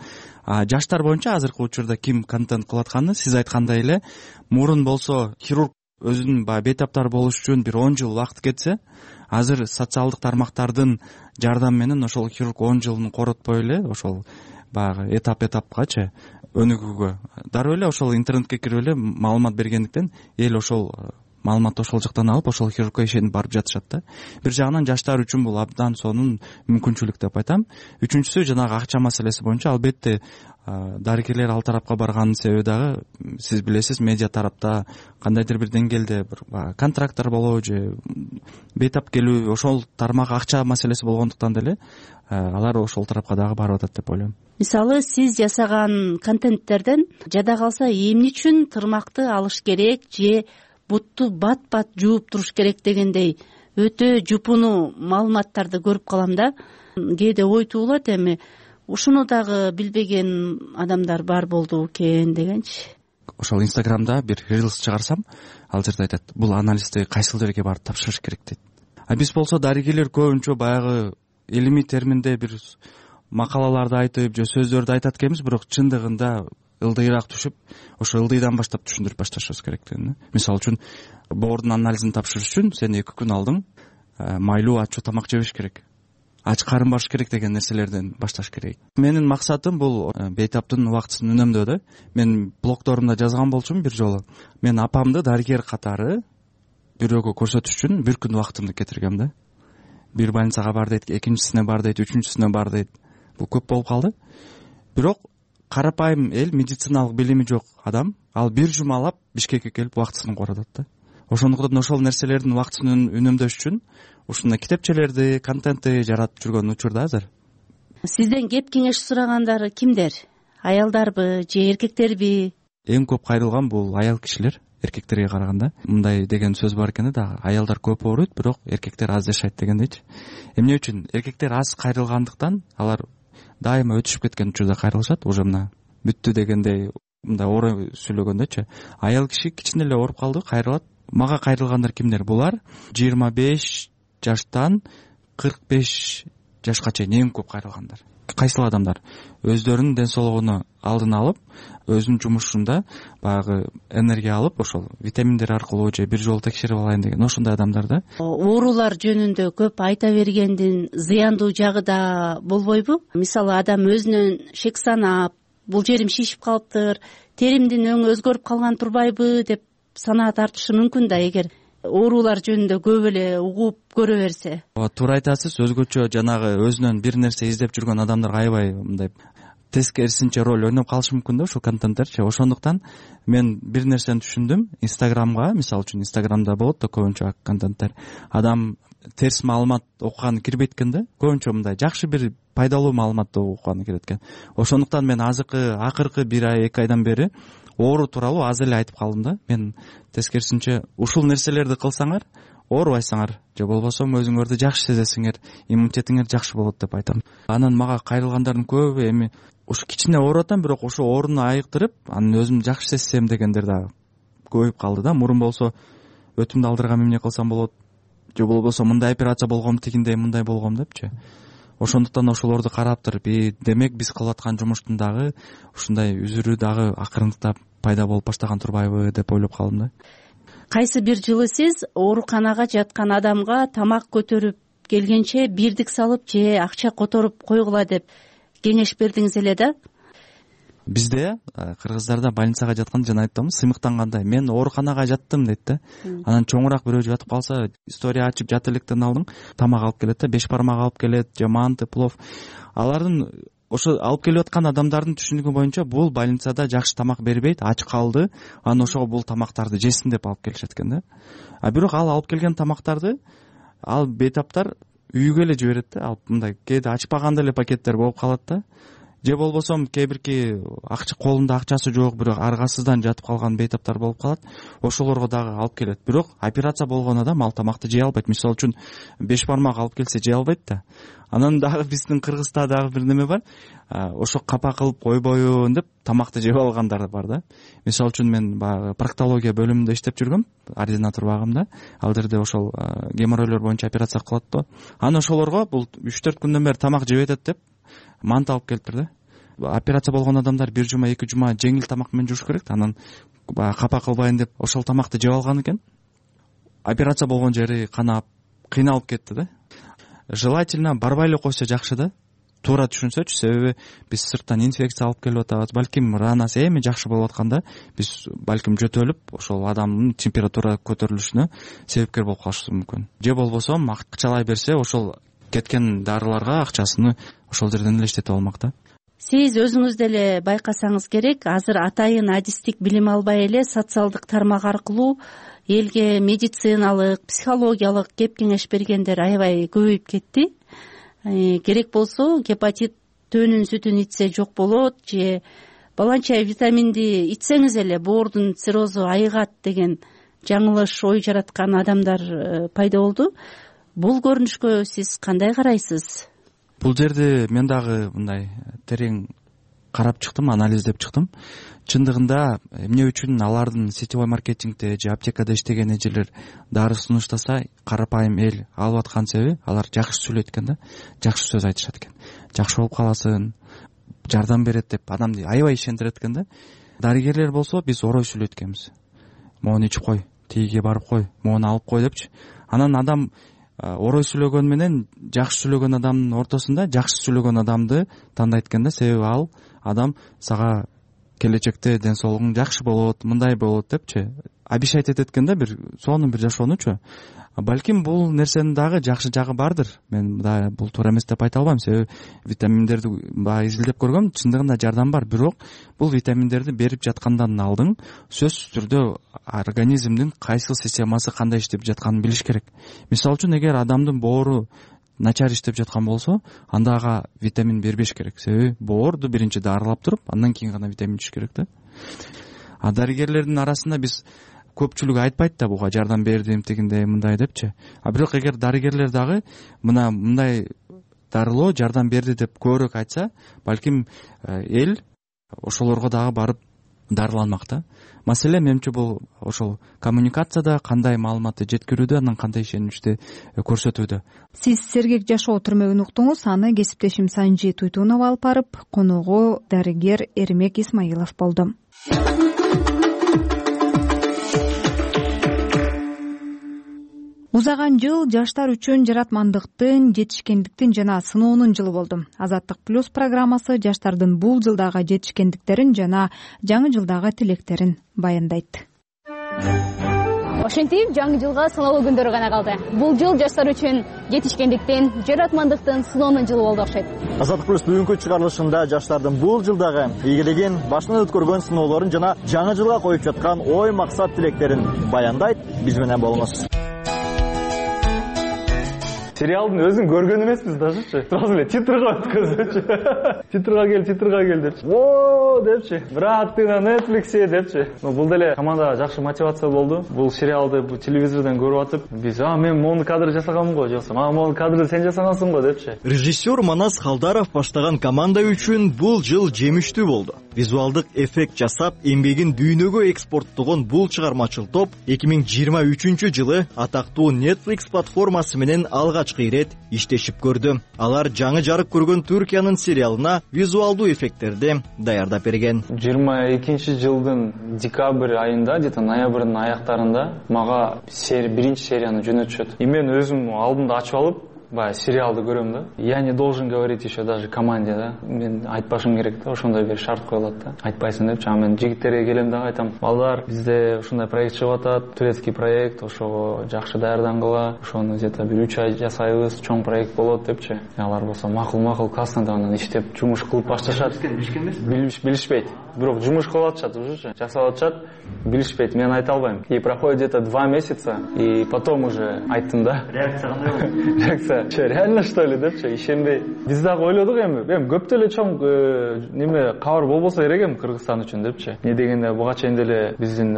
V: А жаштар боюнча азыркы учурда ким контент кылып атканы, сиз айткандай эле, мурун болсо хирург өзүнүн баягы бейтаптар болуш үчүн бир он жыл убакыт кетсе, азыр социалдык тармактардын жардамы менен ошол хирург он жылын коротпой эле ошол баягы этап этапкачы өнүгүүгө, дароо эле ошол интернетке кирип эле маалымат бергендиктен эл ошол маалыматты ошол жактан алып, ошол хирургка ишенип барып жатышат да. Бир жагынан жаштар үчүн бул абдан сонун мүмкүнчүлүк деп айтам. Үчүнчүсү жанагы акча маселеси боюнча албетте дарыгерлер ал тарапка барганын себеби дагы сиз билесиз, медиа тарапта кандайдыр бир деңгээлде бир контракттар болобу же бейтап келүү, ошол тармак акча маселеси болгондуктан деле алар ошол тарапка дагы барып атат деп ойлойм.
U: Мисалы, сиз жасаган контенттерден жада калса эмне үчүн тырмакты алыш керек же бутту бат-бат жууп туруш керек дегендей өтө жупуну маалыматтарды көрүп калам да. Кээде ой туулат, эми ушуну дагы билбеген адамдар бар болду экен дегенчи.
V: Ошол инстаграмда бир рилс чыгарсам, ал жерде айтат, бул анализди кайсыл жерге барып тапшырыш керек дейт. А биз болсо дарыгерлер көбүнчө баягы илимий терминде бир макалаларды айтып же сөздөрдү айтат экенбиз, бирок чындыгында ылдыйраак түшүп, ошо ылдыйдан баштап түшүндүрүп башташыбыз керек деген. Мисалы үчүн, боордун анализин тапшырыш үчүн сен эки күн алдың майлуу ачуу тамак жебеш керек, ач карын барыш керек деген нерселерден башташ керек. Менин максатым бул бейтаптын убактысын үнөмдөө да. Мен блогдорумда жазган болчумун бир жолу. Мен апамды дарыгер катары бирөөгө көрсөтүш үчүн бир күн убактымды кетиргем да. Бир больницага бар дейт, экинчисине бар дейт, үчүнчүсүнө бар дейт. Бул көп болуп калды. Бирок карапайым эл, медициналык билими жок адам, ал бир жумалап Бишкекке келип убактысын коротот да. Ошондуктан ошол нерселердин убактысын үнөмдөш үчүн ушундай китепчелерди, контентти жаратып жүргөн учурда азыр.
U: Сизден кеп кеңеш сурагандар кимдер? Аялдарбы же эркектерби?
V: Эң көп кайрылган бул аял кишилер, эркектерге караганда. Мындай деген сөз бар экен да, аялдар көп ооруйт, бирок эркектер аз жашайт дегендейчи. Эмне үчүн? Эркектер аз кайрылгандыктан алар дайыма өтүшүп кеткен учурда кайрылышат, уже мына бүттү дегендей мындай оор сүйлөгөндөчү. Аял киши кичине эле ооруп калды, кайрылат. Мага кайрылгандар кимдер? Булар жыйырма беш жаштан кырк беш жашка чейин эң көп кайрылгандар. Кайсыл адамдар өздөрүнүн ден соолугуну алдын алып, өзүнүн жумушунда баягы энергия алып, ошол витаминдер аркылуу же бир жолу текшерип алайын деген ошондой адамдар да.
U: Оорулар жөнүндө көп айта бергендин зыяндуу жагы да болбойбу? Мисалы, адам өзүнөн шек санап, бул жерим шишип калыптыр, теримдин өңү өзгөрүп калган турбайбы деп санаа тартышы мүмкүн да, эгер оорулар жөнүндө көп эле угуп көрө берсе.
V: Ооба, туура айтасыз. Өзгөчө жанагы өзүнөн бир нерсе издеп жүргөн адамдар аябай мындай тескерисинче роль ойноп калышы мүмкүн да ушул контенттерчи. Ошондуктан мен бир нерсени түшүндүм. Инстаграмга, мисалы үчүн Инстаграмда болот да көбүнчө контенттер. Адам терс маалымат окуганы кирбейт экен да. Көбүнчө мындай жакшы бир пайдалуу маалыматты окуганы кирет экен. Ошондуктан мен азыркы акыркы бир ай, эки айдан бери оору тууралуу аз эле айтып калдым да. Мен тескерисинче ушул нерселерди кылсаңар оорубайсыңар, же болбосо өзүңөрдү жакшы сезесиңер, иммунитетиңер жакшы болот деп айтам. Анан мага кайрылгандардын көбү эми ушу кичине ооруп атам, бирок ошо ооруну айыктырып, анан өзүмдү жакшы сезсем дегендер да көбөйүп калды да. Мурун болсо өтүмдү алдыргам эмне кылсам болот, же болбосо мындай операция болгом, тигиндей мындай болгом депчи. Ошондуктан ошолорду карап туруп, и демек биз кылып аткан жумуштун дагы ушундай үзүрү дагы акырындыктап пайда болуп баштаган турбайбы деп ойлоп калдым да.
U: Кайсы бир жылы сиз ооруканага жаткан адамга тамак көтөрүп келгенче бирдик салып же акча которуп койгула деп кеңеш бердиңиз эле да?
V: Бизде кыргыздарда больницага жатканда жана айттым, сыймыктангандай мен ооруканага жаттым дейт да. Анан чоңураак бирөө жатып калса, история ачып жат электен алдың, тамак алып келет да, беш бармак алып келет, же манты, плов. Алардын ошо алып келип аткан адамдардын түшүнүгү боюнча бул больницада жакшы тамак бербейт, ач калды, анан ошого бул тамактарды жесин деп алып келишет экен да. А бирок ал алып келген тамактарды ал бейтаптар үйгө эле жиберет да. Алып мындай кээде ачпаган эле пакеттер болуп калат да. Же болбосо кээ бирки акча колунда акчасы жок, бирок аргасыздан жатып калган бейтаптар болуп калат. Ошолорго дагы алып келет. Бирок операция болгон адам ал тамакты жей албайт. Мисалы үчүн беш бармак алып келсе жей албайт да. Анан дагы биздин Кыргызда дагы бир неме бар. Ошо капа кылып койбоюн деп тамакты жеп алгандар бар да. Мисалы үчүн мен баягы проктология бөлүмүндө иштеп жүргөм, ординатор багымда. Ал жерде ошол геморройлор боюнча операция кылат да. Анан ошолорго бул үч төрт күндөн бери тамак жеп атат деп мант алып келиптир да. Операция болгон адамдар бир жума, эки жума жеңил тамак менен жуш керек. Анан капа кылбайын деп ошол тамакты жеп алган экен. Операция болгон жери канап, кыйналып кетти да. Желательно барбай эле койсо жакшы да. Туура түшүнсөчү, себеби биз сырттан инфекция алып келип атабыз. Балким ранасы эми жакшы болуп атканда биз балким жөтөлүп, ошол адамдын температура көтөрүлүшүнө себепкер болуп калышыбыз мүмкүн. Же болбосо акчалай берсе, ошол кеткен дарыларга акчасыны ошол жерден эле иштетип алмак да.
U: Сиз өзүңүз деле байкасаңыз керек, азыр атайын адистик билим албай эле социалдык тармак аркылуу элге медициналык, психологиялык кеп кеңеш бергендер аябай көбөйүп кетти. Керек болсо гепатит төөнүн сүтүн ичсе жок болот, же баланча витаминди ичсеңиз эле боордун циррозу айыгат деген жаңылыш ой жараткан адамдар пайда болду. Бул көрүнүшкө сиз кандай карайсыз?
V: Бул жерде мен дагы мындай терең карап чыктым, анализдеп чыктым. Чындыгында эмне үчүн алардын сетевой маркетингде же аптекада иштеген эжелер дары сунуштаса, карапайым эл алып аткан себеби алар жакшы сүйлөйт экен да, жакшы сөз айтышат экен. Жакшы болуп каласың, жардам берет деп адамды аябай ишендирет экен да. Дарыгерлер болсо биз орой сүйлөйт экенбиз. Моуну ичип кой, тигиге барып кой, моуну алып кой депчи. Анан адам орой сүйлөгөн менен жакшы сүйлөгөн адамдын ортосунда жакшы сүйлөгөн адамды тандайт экен да, себеби ал адам сага келечекте ден соолугуң жакшы болот, мындай болот депчи обещать этет экен да, бир сонун бир жашоонучу. Балким бул нерсенин дагы жакшы жагы бардыр. Мен да бул туура эмес деп айта албайм, себеби витаминдерди баягы изилдеп көргөм, чындыгында жардам бар. Бирок бул витаминдерди берип жаткандан алдын сөзсүз түрдө организмдин кайсыл системасы кандай иштеп жатканын билиш керек. Мисалы үчүн, эгер адамдын боору начар иштеп жаткан болсо, анда ага витамин бербеш керек. Себеби боорду биринчи дарылап туруп, андан кийин гана витамин ичиш керек да. А дарыгерлердин арасында биз көпчүлүгү айтпайт да буга жардам бердим тигиндей мындай депчи. А бирок эгер дарыгерлер дагы мына мындай дарылоо жардам берди деп көбүрөөк айтса, балким эл ошолорго дагы барып дарыланмак да. Маселе менимче бул ошол коммуникацияда, кандай маалыматты жеткирүүдө, анан кандай ишеничти көрсөтүүдө.
B: Сиз сергек жашоо түрмөгүн уктуңуз, аны кесиптешим Санжи Туйтунов алып барып, коногу дарыгер Эрмек Исмаилов болду. Узаган жыл жаштар үчүн жаратмандыктын, жетишкендиктин жана сыноонун жылы болду. Азаттык плюс программасы жаштардын бул жылдагы жетишкендиктерин жана жаңы жылдагы тилектерин баяндайт.
E: Ошентип, жаңы жылга сыноолуу күндөр гана калды. Бул жыл жаштар үчүн жетишкендиктин, жаратмандыктын сыноонун жылы болду окшойт.
I: Азаттык плюс бүгүнкү чыгарылышында жаштардын бул жылдагы ийгилигин, башынан өткөргөн сыноолорун жана жаңы жылга коюп жаткан ой, максат, тилектерин баяндайт. Биз менен болуңуз.
W: Сериалдын өзүн көргөн эмеспиз дажычы. Сразу эле титрга өткөзүчү. Титрга кел, титрга кел депчи. О, депчи. Брат, ты на Netflix'е депчи. Ну, бул деле командага жакшы мотивация болду. Бул сериалды бул телевизордон көрүп атып, биз, а, мен мону кадр жасаганмын го, жоксо, а, мону кадрды сен жасагансың го депчи.
I: Режиссер Манас Халдаров баштаган команда үчүн бул жыл жемиштүү болду. Визуалдык эффект жасап, эмгегин дүйнөгө экспорттогон бул чыгармачыл топ эки миң жыйырма үчүнчү жылы атактуу Netflix платформасы менен алгачкы ирет иштешип көрдү. Алар жаңы жарык көргөн Түркиянын сериалына визуалдуу эффекттерди даярдап берген.
W: жыйырма экинчи жылдын декабрь айында, где-то ноябрдын аяктарында мага биринчи серияны жөнөтүшөт. И мен өзүм алдымда ачып алып, баягы сериалды көрөм да. Я не должен говорить еще даже команде да. Мен айтпашым керек да, ошондой бир шарт коюлат да. Айтпайсың депчи. А мен жигиттерге келем дагы айтам. Балдар, бизде ушундай проект чыгып атат, турецкий проект, ошого жакшы даярдангыла, ошону где-то бир үч ай жасайбыз, чоң проект болот депчи. Алар болсо макул, макул, классно деп анан иштеп жумуш кылып башташат. Билишкен эмес? Билишпейт. Бирок жумуш кылып атышат уже, жасап атышат. Билишпейт, мен айта албайм. И проходит где-то два месяца, и потом уже айттым да. Реакция кандай болду? Реакция Че, реально что ли депчи, ишенбей. Биз дагы ойлодук эми, эми көп деле чоң неме кабар болбосо керек эми Кыргызстан үчүн депчи. Не дегенде буга чейин деле биздин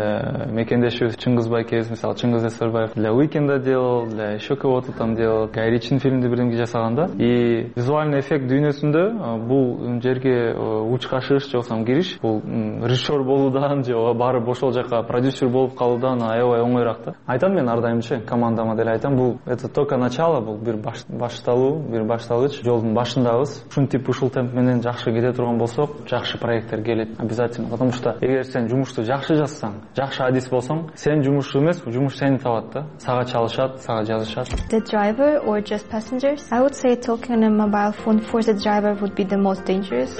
W: мекендешибиз Чыңгыз Байкебиз, мисалы Чыңгыз Эсербаев для Уикенда делал, для еще кого-то там делал. Гай Ричинин фильмди бирдемке жасаганда, и визуальный эффект дүйнөсүндө бул жерге уч кашыш же болбосо кириш, бул режиссер болуудан же барып ошол жака продюсер болуп калуудан аябай оңоюраак да. Айтам мен ар дайымчы командама деле айтам, бул это только начало, бул бир башталуу, бир башталгыч, жолдун башындабыз. Ушинтип ушул темп менен жакшы кете турган болсок, жакшы проекттер келет обязательно. Потому что эгер сен жумушту жакшы жазсаң, жакшы адис болсоң, сен жумуш эмес, жумуш сени табат да. Сага чалышат, сага жазышат.
X: The driver or just passengers? I would say talking on a mobile phone for the driver would be the most dangerous.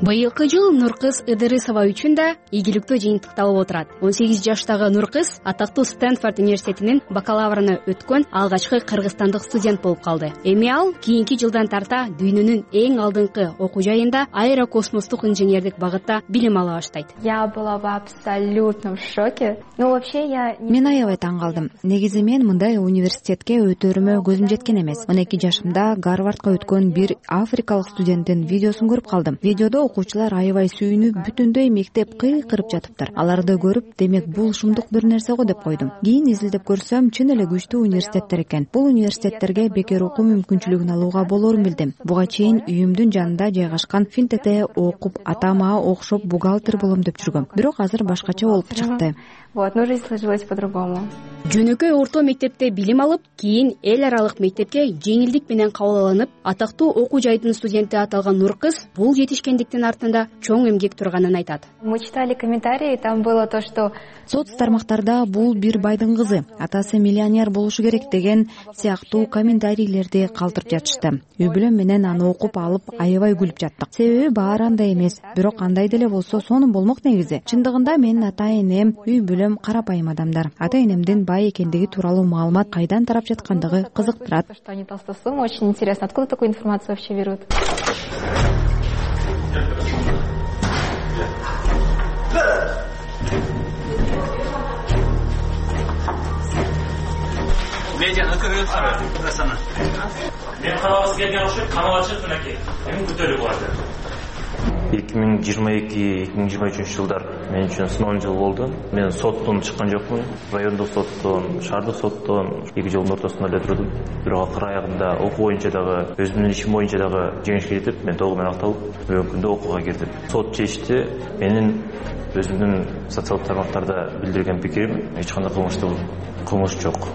E: Быйылкы жыл Нуркыз Ыдырысова үчүн да ийгиликтүү жыйынтыкта болуп турат. он сегиз жаштагы Нуркыз атактуу Стэнфорд университетинин бакалаврына өткөн алгачкы кыргызстандык студент болуп калды. Эми ал кийинки жылдан тарта дүйнөнүн эң алдыңкы окуу жайында аэрокосмостук инженердик багытта билим ала баштайт.
X: Я была в абсолютном шоке. Ну вообще я
B: Мен аябай таң калдым. Негизи мен мындай университетке өтөрүмө көзүм жеткен эмес. он эки жашымда Гарвардка өткөн бир африкалык студенттин видеосун көрүп калдым. Видеодо окуучулар аябай сүйүнүп, бүтүндөй мектеп кыйкырып жатыптыр. Аларды көрүп, демек бул шумдук бир нерсе го деп койдум. Кийин изилдеп көрсөм, чын эле күчтүү университеттер экен. Бул университеттерге бекер окуу мүмкүнчүлүгүн алууга болорун билдим. Буга чейин үйүмдүн жанында жайгашкан Финтекте окуп, атама окшоп бухгалтер болом деп жүргөм. Бирок азыр башкача болуп чыкты.
X: Вот, ну жизнь сложилась по-другому.
E: Жөнөкөй орто мектепте билим алып, кийин эл аралык мектепке жеңилдик менен кабыл алынып, атактуу окуу жайдын студенти аталган Нуркыз бул жетишкендиктин артында чоң эмгек турганын айтат.
X: Мы читали комментарии, там было то, что
B: соц тармактарда бул бир байдын кызы, атасы миллионер болушу керек деген сыяктуу комментарийлерди калтырып жатышты. Үй бүлөм менен аны окуп алып аябай күлүп жаттык. Себеби баары андай эмес, бирок андай деле болсо сонун болмок негизи. Чындыгында менин ата энем, үй бүлөм элем карапайым адамдар. Ата энемдин бай экендиги тууралуу маалымат кайдан тарап жаткандыгы кызыктырат.
X: Что они толстосумы, очень интересно, откуда такую информацию вообще берут?
C: Медианы көрөсүңөр. Мен карабасы келген окшойт, камалачып мынакей. Эми күтөлүп алды.
D: эки миң жыйырма эки эки миң жыйырма үчүнчү жылдар мен үчүн сыноон жыл болду. Мен соттон чыккан жокмун. Райондук соттон, шаардык соттон эки жолдун ортосунда эле турдум. Бирок акыр аягында окуу боюнча дагы, өзүмдүн ишим боюнча дагы жеңишке жетип, мен толугу менен акталып, бүгүнкү күндө окууга кирдим. Сот чечти, менин өзүмдүн социалдык тармактарда билдирген пикирим эч кандай кылмыштуу кылмыш жок.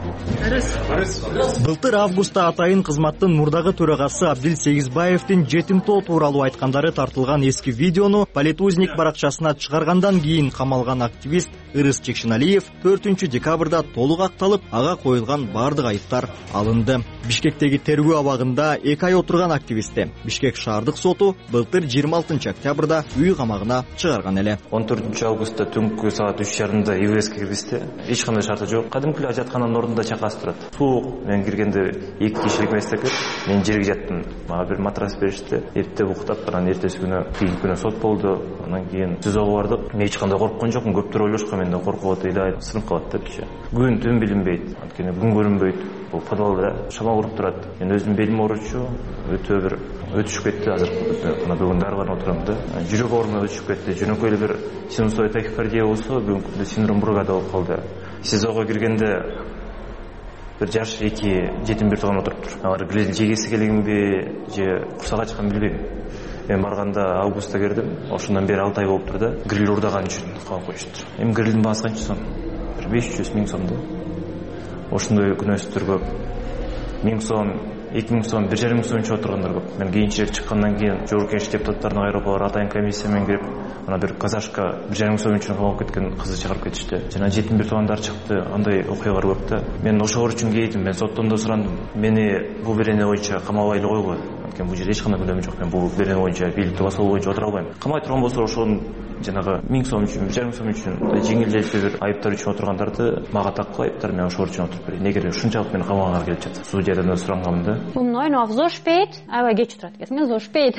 I: Былтыр августта атайын кызматтын мурдагы төрагасы Абдил Сегизбаевдин жетимтоо тууралуу айткандары тартылган эски видеону Политузник баракчасына чыгаргандан кийин камалган активист Ырыс Чекшеналиев төртүнчү декабрда толук акталып, ага коюлган бардык айыптар алынды. Бишкектеги тергөө абагында эки ай отурган активистти Бишкек шаардык соту былтыр жыйырма алтынчы октябрда үй камагына чыгарган эле.
D: он төртүнчү августта түнкү саат үч жарымда ИВСке киргизди. Эч кандай шарты жок. Кадимки жатканын ордунда чакасы турат. Суук. Мен киргенде эки кишилик месте экен. Мен жерге жаттым. Мага бир матрас беришти. Эртең уктап, анан эртеси күнү кийинки күнү сот болду. Анан кийин СИЗОго бардык. Мен эч кандай корккон жокмун. Көптөр ойлошкон мен да коркуп атат, сынып калат депчи. Күн түн билинбейт. Анткени күн көрүнбөйт. Бул подвалда шамал уруп турат. Мен өзүм белим ооручу, өтө бир өтүшүп кетти азыр. Мына бүгүн дарыган отурам да. Жүрөк ооруна өтүшүп кетти. Жөнөкөй эле бир синусоид тахикардия болсо, бүгүнкү күндө синдром Бургада болуп калды. СИЗОго киргенде бир жаш эки жетим бир тууган отуруптур. Алар гриль жегиси келгенби же курсак ачкан билбейм. Мен барганда августта кирдим. Ошондон бери алты ай болуптур да. Гриль урдаган үчүн калып коюшту. Эми грилдин баасы канча сом? Бир беш жүз миң сом да. Ошондой күнөөсүздөр көп. миң сом, эки миң сом, бир жарым миң сом үчүн отургандар көп. Мен кийинчерээк чыккандан кийин Жогорку Кеңеш депутаттарынын айрапалары атайын комиссия менен кирип, ана бир казашка бир жарым миң сом үчүн калып кеткен кызды чыгарып кетишти. Жана жетим бир туугандар чыкты. Андай окуялар көп да. Мен ошол үчүн кейдим. Мен соттон да сурандым. Мени бул берене боюнча камабай эле койгула. Анткени бул жерде эч кандай күнөөм жок. Мен бул берене боюнча, бийликти басуу боюнча отура албайм. Камай турган болсо ошонун жанагы миң сом үчүн, бир жарым миң сом үчүн жеңил желпи бир айыптар үчүн отургандарды мага таккыл айыптар, мен ошол үчүн отуруп берейин. Эгер ушунчалык мени камаганга келип жатса, судьядан да сурангамын да.
J: Um neun Uhr aufspät, aber geç турат экен, so spät.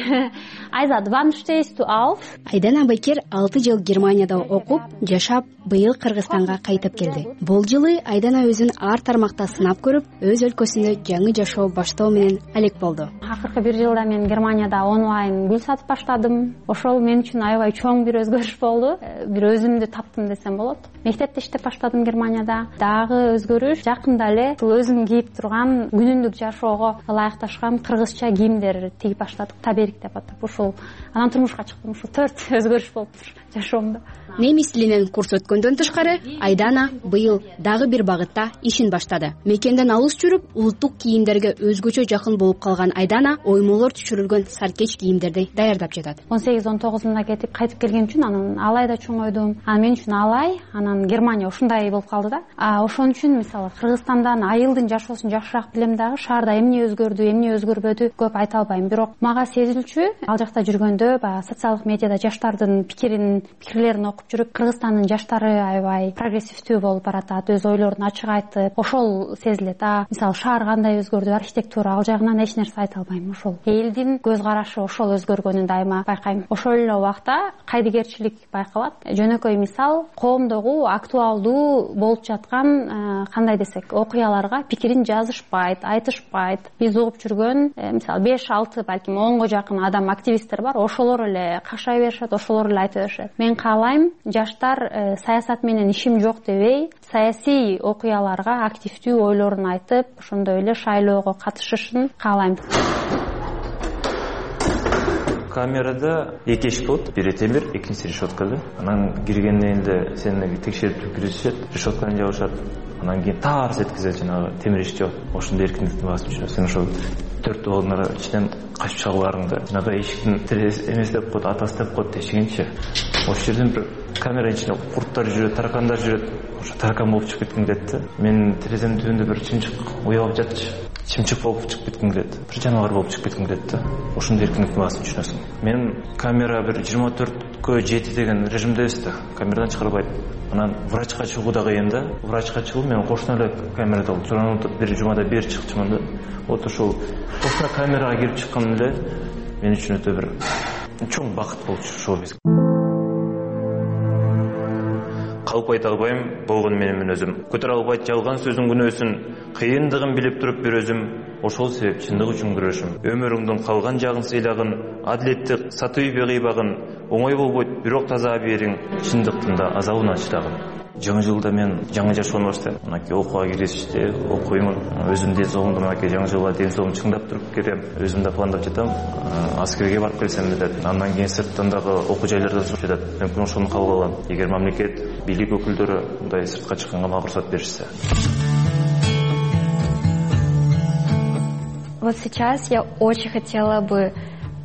J: Айзат, wann stehst du auf?
E: Айдана Байкер алты жыл Германияда окуп, жашап, быйыл Кыргызстанга кайтып келди. Бул жылы Айдана өзүн ар тармакта сынап көрүп, өз өлкөсүндө жаңы жашоо баштоо менен алек болду.
J: Акыркы бир жылда мен Германияда онлайн гүл сатып баштадым. Ошол мен үчүн аябай чоң бир өзгөрүш болду. Бир өзүмдү таптым десем болот. Мектепте иштеп баштадым Германияда. Дагы өзгөрүш жакында эле өзүм кийип турган күнүмдүк жашоого ылайыкташкан кыргызча кийимдер тигип баштадык. Таберик деп атап. Ушул анан турмушка чыктым. Ушул төрт өзгөрүш болуптур жашоомдо.
E: Немис тилинен курс өткөндөн тышкары, Айдана быйыл дагы бир багытта ишин баштады. Мекенден алыс жүрүп, улуттук кийимдерге өзгөчө жакын болуп калган Айдана оймолор түшүрүлгөн саркеч кийимдерди даярдап жатат.
J: он сегиз он тогузунда кетип кайтып келген үчүн анан алайда чоңойдум. Анан мен үчүн алай, анан Германия ушундай болуп калды да. А ошон үчүн мисалы Кыргызстандан айылдын жашоосун жакшыраак билем дагы, шаарда эмне өзгөрдү, эмне өзгөрбөдү көп айта албайм. Бирок мага сезилчү, ал жакта жүргөндө баягы социалдык медиада жаштардын пикирин, пикирлерин окуп жүрүп, Кыргызстандын жаштары аябай прогрессивдүү болуп баратат, өз ойлорун ачык айтып, ошол сезилет. А мисалы шаар кандай өзгөрдү, архитектура, ал жагынан эч нерсе айта албайм. Ошол элдин көз карашы ошол өзгөргөнүн дайыма байкайм. Ошол эле убакта кайдыгерчилик байкалат. Жөнөкөй мисал, коомдогу актуалдуу болуп жаткан кандай десек, окуяларга пикирин жазышпайт, айтышпайт. Биз угуп жүргөн мисалы беш алты балким онго жакын адам, активисттер бар. Ошолор эле кашай беришет, ошолор эле айта беришет. Мен каалайм жаштар саясат менен ишим жок дебей, саясий окуяларга активдүү ойлорун айтып, ошондой эле шайлоого катышышын каалайм.
D: Камерада эки эшик болот, бири темир, экинчиси решетка да. Анан киргенден эле сени текшерип киришет, решетканы жабышат. Анан кийин тарс эткизет, жанагы темир эшик жабат. Ошондо эркиндиктин басып жүрөсүң. Сен ошол төрт балдар ичинен качып чыгууларыңды, жанагы эшиктин терез эмес деп коет, атасы деп коет дешигенчи. Ошол жерден бир камеранын ичинде курттар жүрөт, таракандар жүрөт. Ошо таракан болуп чыгып кетким келет да. Мен терезенин түбүндө бир чымчык уялып жатчы. Чымчык болуп чыгып кетким келет. Бир жаныбар болуп чыгып кетким келет да. Ошондой эркиндиктин басып жүрөсүң. Мен камера бир жыйырма төрт түккө жети деген режимдебиз да, камерадан чыгарбайт. Анан врачка чыгуу да кыйын да. Врачка чыгуу менин кошуна эле камерада болуп, журан бир жумада бери чыкчумун да. Вот ошол кошуна камерага кирип чыккан эле мен үчүн өтө бир чоң бакыт болчу шоу-биз. Калп айта албайм болгон менин өзүм. Көтөрө албайт жалган сөздүн күнөөсүн, кыйындыгын билип туруп бир өзүм. Ошол себеп чындык үчүн күрөшүм. Өмүрүңдүн калган жагын сыйлагын, адилетти сатып кыйбагын, оңой болбойт, бирок таза бериң, чындыктын да азабына чыдагын. Жаңы жылда мен жаңы жашоону баштайм. Мынакей окууга киришти, окуймун. Өзүм ден соолугумду мынакей жаңы жылга ден соолугум чыңдап туруп келем. Өзүм да пландап жатам. Аскерге барып келсем деп. Андан кийин сырттан дагы окуу жайларда сурап жатат. Мүмкүн ошону кабыл алам. Эгер мамлекет, бийлик өкүлдөрү мындай сыртка чыкканга мага уруксат беришсе.
X: Вот сейчас я очень хотела бы,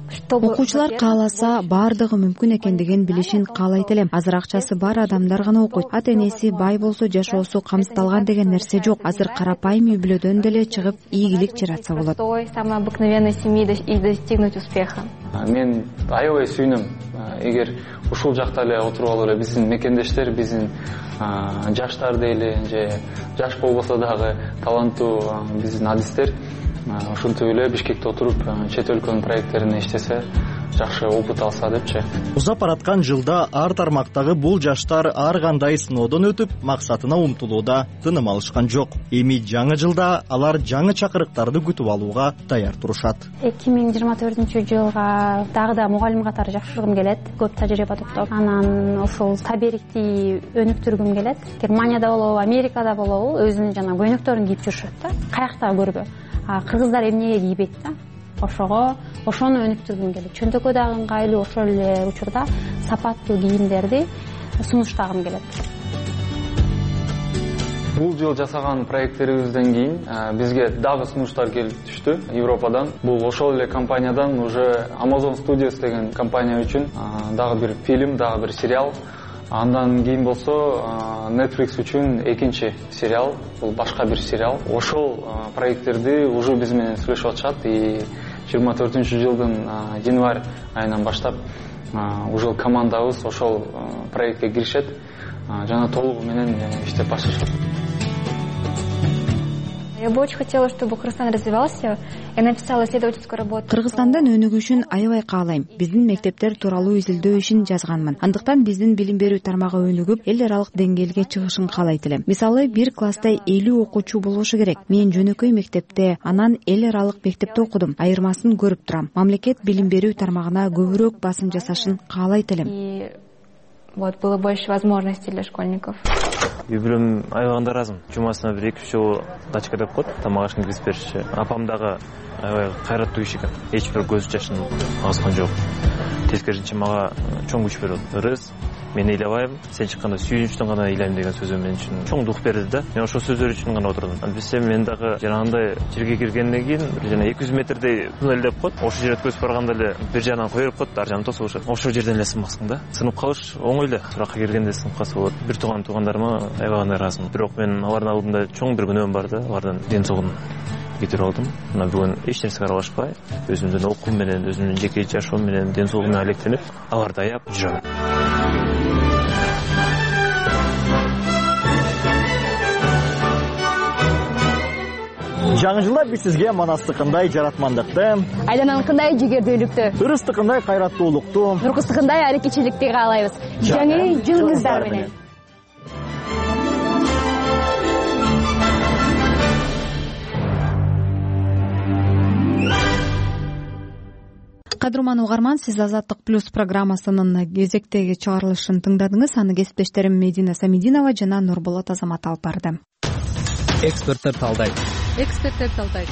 X: чтобы
B: окуучулар кааласа баардыгы мүмкүн экендигин билишин каалайт элем. Азыр акчасы бар адамдар гана окуйт. Ата энеси бай болсо жашоосу камсыздалган деген нерсе жок. Азыр карапайым үй бүлөдөн деле чыгып ийгилик жаратса болот.
X: Той самой обыкновенной семьи и достигнуть успеха.
W: Мен аябай сүйүнөм. Эгер ушул жакта эле отуруп алып эле биздин мекендештер, биздин жаштар дейли, же жаш болбосо дагы таланттуу биздин адистер ушинтип эле Бишкекте отуруп чет өлкөнүн проекттерине иштесе, жакшы опыт алса депчи.
I: Узап бараткан жылда ар тармактагы бул жаштар ар кандай сыноодон өтүп, максатына умтулууда тыным алышкан жок. Эми жаңы жылда алар жаңы чакырыктарды күтүп алууга даяр турушат.
J: эки миң жыйырма төртүнчү жылга дагы да мугалим катары жакшыргым келет. Көп тажрыйба топтоп, анан ошол таберикти өнүктүргүм келет. Германияда болобу, Америкада болобу, өзүнүн жана көйнөктөрүн кийип жүрүшөт да. Каякта көрбө. Кыргыздар эмнеге кийбейт да? Ошого, ошону өнүктүргүм келет. Чөнтөккө дагы ыңгайлуу, ошол эле учурда сапаттуу кийимдерди сунуштагым келет.
W: Бул жыл жасаган проекттерибизден кийин бизге дагы сунуштар келип түштү Европадан. Бул ошол эле компаниядан уже Amazon Studios деген компания үчүн дагы бир фильм, дагы бир сериал. Андан кийин болсо Netflix үчүн экинчи сериал, бул башка бир сериал. Ошол проекттерди уже биз менен сүйлөшүп атышат и жыйырма төртүнчү жылдын январь айынан баштап уже командабыз ошол проектке киришет, жана толугу менен иштеп башташат.
X: Я бы очень хотела, чтобы Кыргызстан развивался. Я написала исследовательскую работу.
B: Кыргызстандын өнүгүшүн аябай каалайм. Биздин мектептер тууралуу изилдөө ишин жазганмын. Андыктан биздин билим берүү тармагы өнүгүп, эл аралык деңгээлге чыгышын каалайт элем. Мисалы, бир класста элүү окуучу болушу керек. Мен жөнөкөй мектепте, анан эл аралык мектепте окудум. Айырмасын көрүп турам. Мамлекет билим берүү тармагына көбүрөөк басым жасашын каалайт элем.
X: И вот было больше возможностей для школьников.
D: Үй бүлөм аябаганда ыраазымын. Жумасына бир эки үч жолу дачка деп коет, тамак ашын киргизип бериши. Апам дагы аябай кайраттуу киши экен. Эч бир көз жашын агызган жок. Тескерисинче мага чоң күч берет. Ырыс, мен ыйлабайм, сен чыкканда сүйүнүчтөн гана ыйлайм деген сөзү мен үчүн чоң дух берди да. Мен ошол сөздөр үчүн гана отурдум. Билсем мен дагы жанагындай жерге киргенден кийин бир жана эки жүз метрдей туннель деп коет. Ошол жерге өткөзүп барганда эле бир жагынан кое берип коет, ар жагын тосуп алышат. Ошол жерден эле сынбаксың да. Сынып калыш оңой эле. Суракка киргенде сынып калса болот. Бир тууган туугандарыма аябагандай ыраазымын. Бирок мен алардын алдында чоң бир күнөөм бар да, алардын ден соолугун кетирип алдым. Мына бүгүн эч нерсеге аралашпай, өзүмдүн окуум менен, өзүмдүн жеке жашоом менен, ден соолугум менен алектенип, аларды аяп жүрөм.
I: Жаңы жылда биз сизге Манастыкындай жаратмандыкты,
E: Айдананыкындай жигердүүлүктү,
I: Ырыстыкындай кайраттуулукту,
E: Нуркыздыкындай аракетчиликти каалайбыз. Жаңы жылыңыздар менен.
B: Кадырман угарман, сиз Азаттык плюс программасынын кезектеги чыгарылышын тыңдадыңыз. Аны кесиптештерим Медина Самидинова жана Нурболот Азамат алып барды.
G: Эксперттер талдайт.
H: Эксперттер талдайт.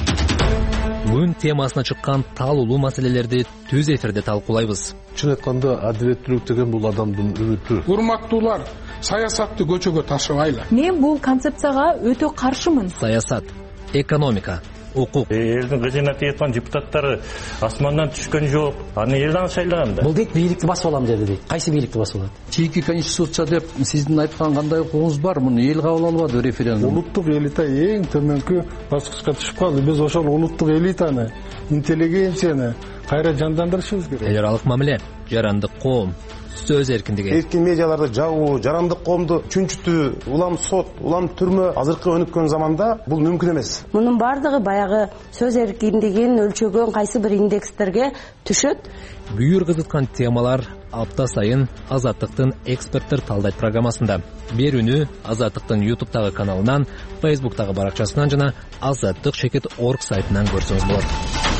G: Күн темасына чыккан таалуулуу маселелерди түз эфирде талкуулайбыз.
K: Чын айтканда адилеттүүлүк деген бул адамдын үмүтү.
L: Урматтуулар, саясатты көчөгө ташыбайлы.
H: Мен бул концепцияга өтө каршымын.
G: Саясат, экономика, укук.
M: Элдин кызына тиеткан депутаттары асмандан түшкөн жок. Аны элдин шайлаган да.
Y: Бул дейт бийликти басып алам деди дейт. Кайсы бийликти басып алат?
L: Чийки конституция деп сиздин айткан кандай укугуңуз бар? Муну эл кабыл албады референдум.
K: Улуттук элита эң төмөнкү баскычка түшүп калды. Биз ошол улуттук элитаны, интеллигенцияны кайра жандандырышыбыз керек.
G: Эл аралык мамиле, жарандык коом, сөз эркиндиги.
F: Эркин медиаларды жабуу, жарандык коомду чүнчүтүү, улам сот, улам түрмө азыркы өнүккөн заманда бул мүмкүн эмес.
N: Мунун баардыгы баягы сөз эркиндигин өлчөгөн кайсы бир индекстерге түшөт.
G: Бүйүр кызыткан темалар апта сайын Азаттыктын эксперттер талдайт программасында. Берүүнү Азаттыктын ютубтагы каналынан, фейсбуктагы баракчасынан жана азаттык чекит орг сайтынан көрсөңүз болот.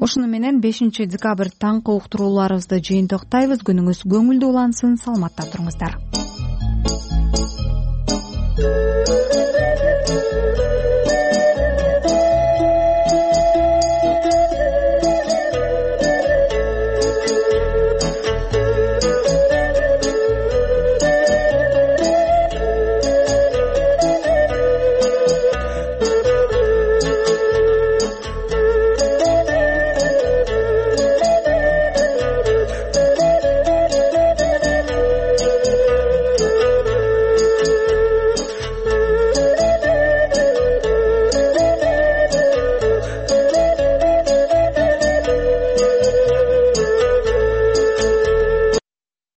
B: Ошону менен бешинчи декабрь таңкы уктурууларыбызды жыйынтыктайбыз. Күнүңүз көңүлдүү улансын, саламатта туруңуздар.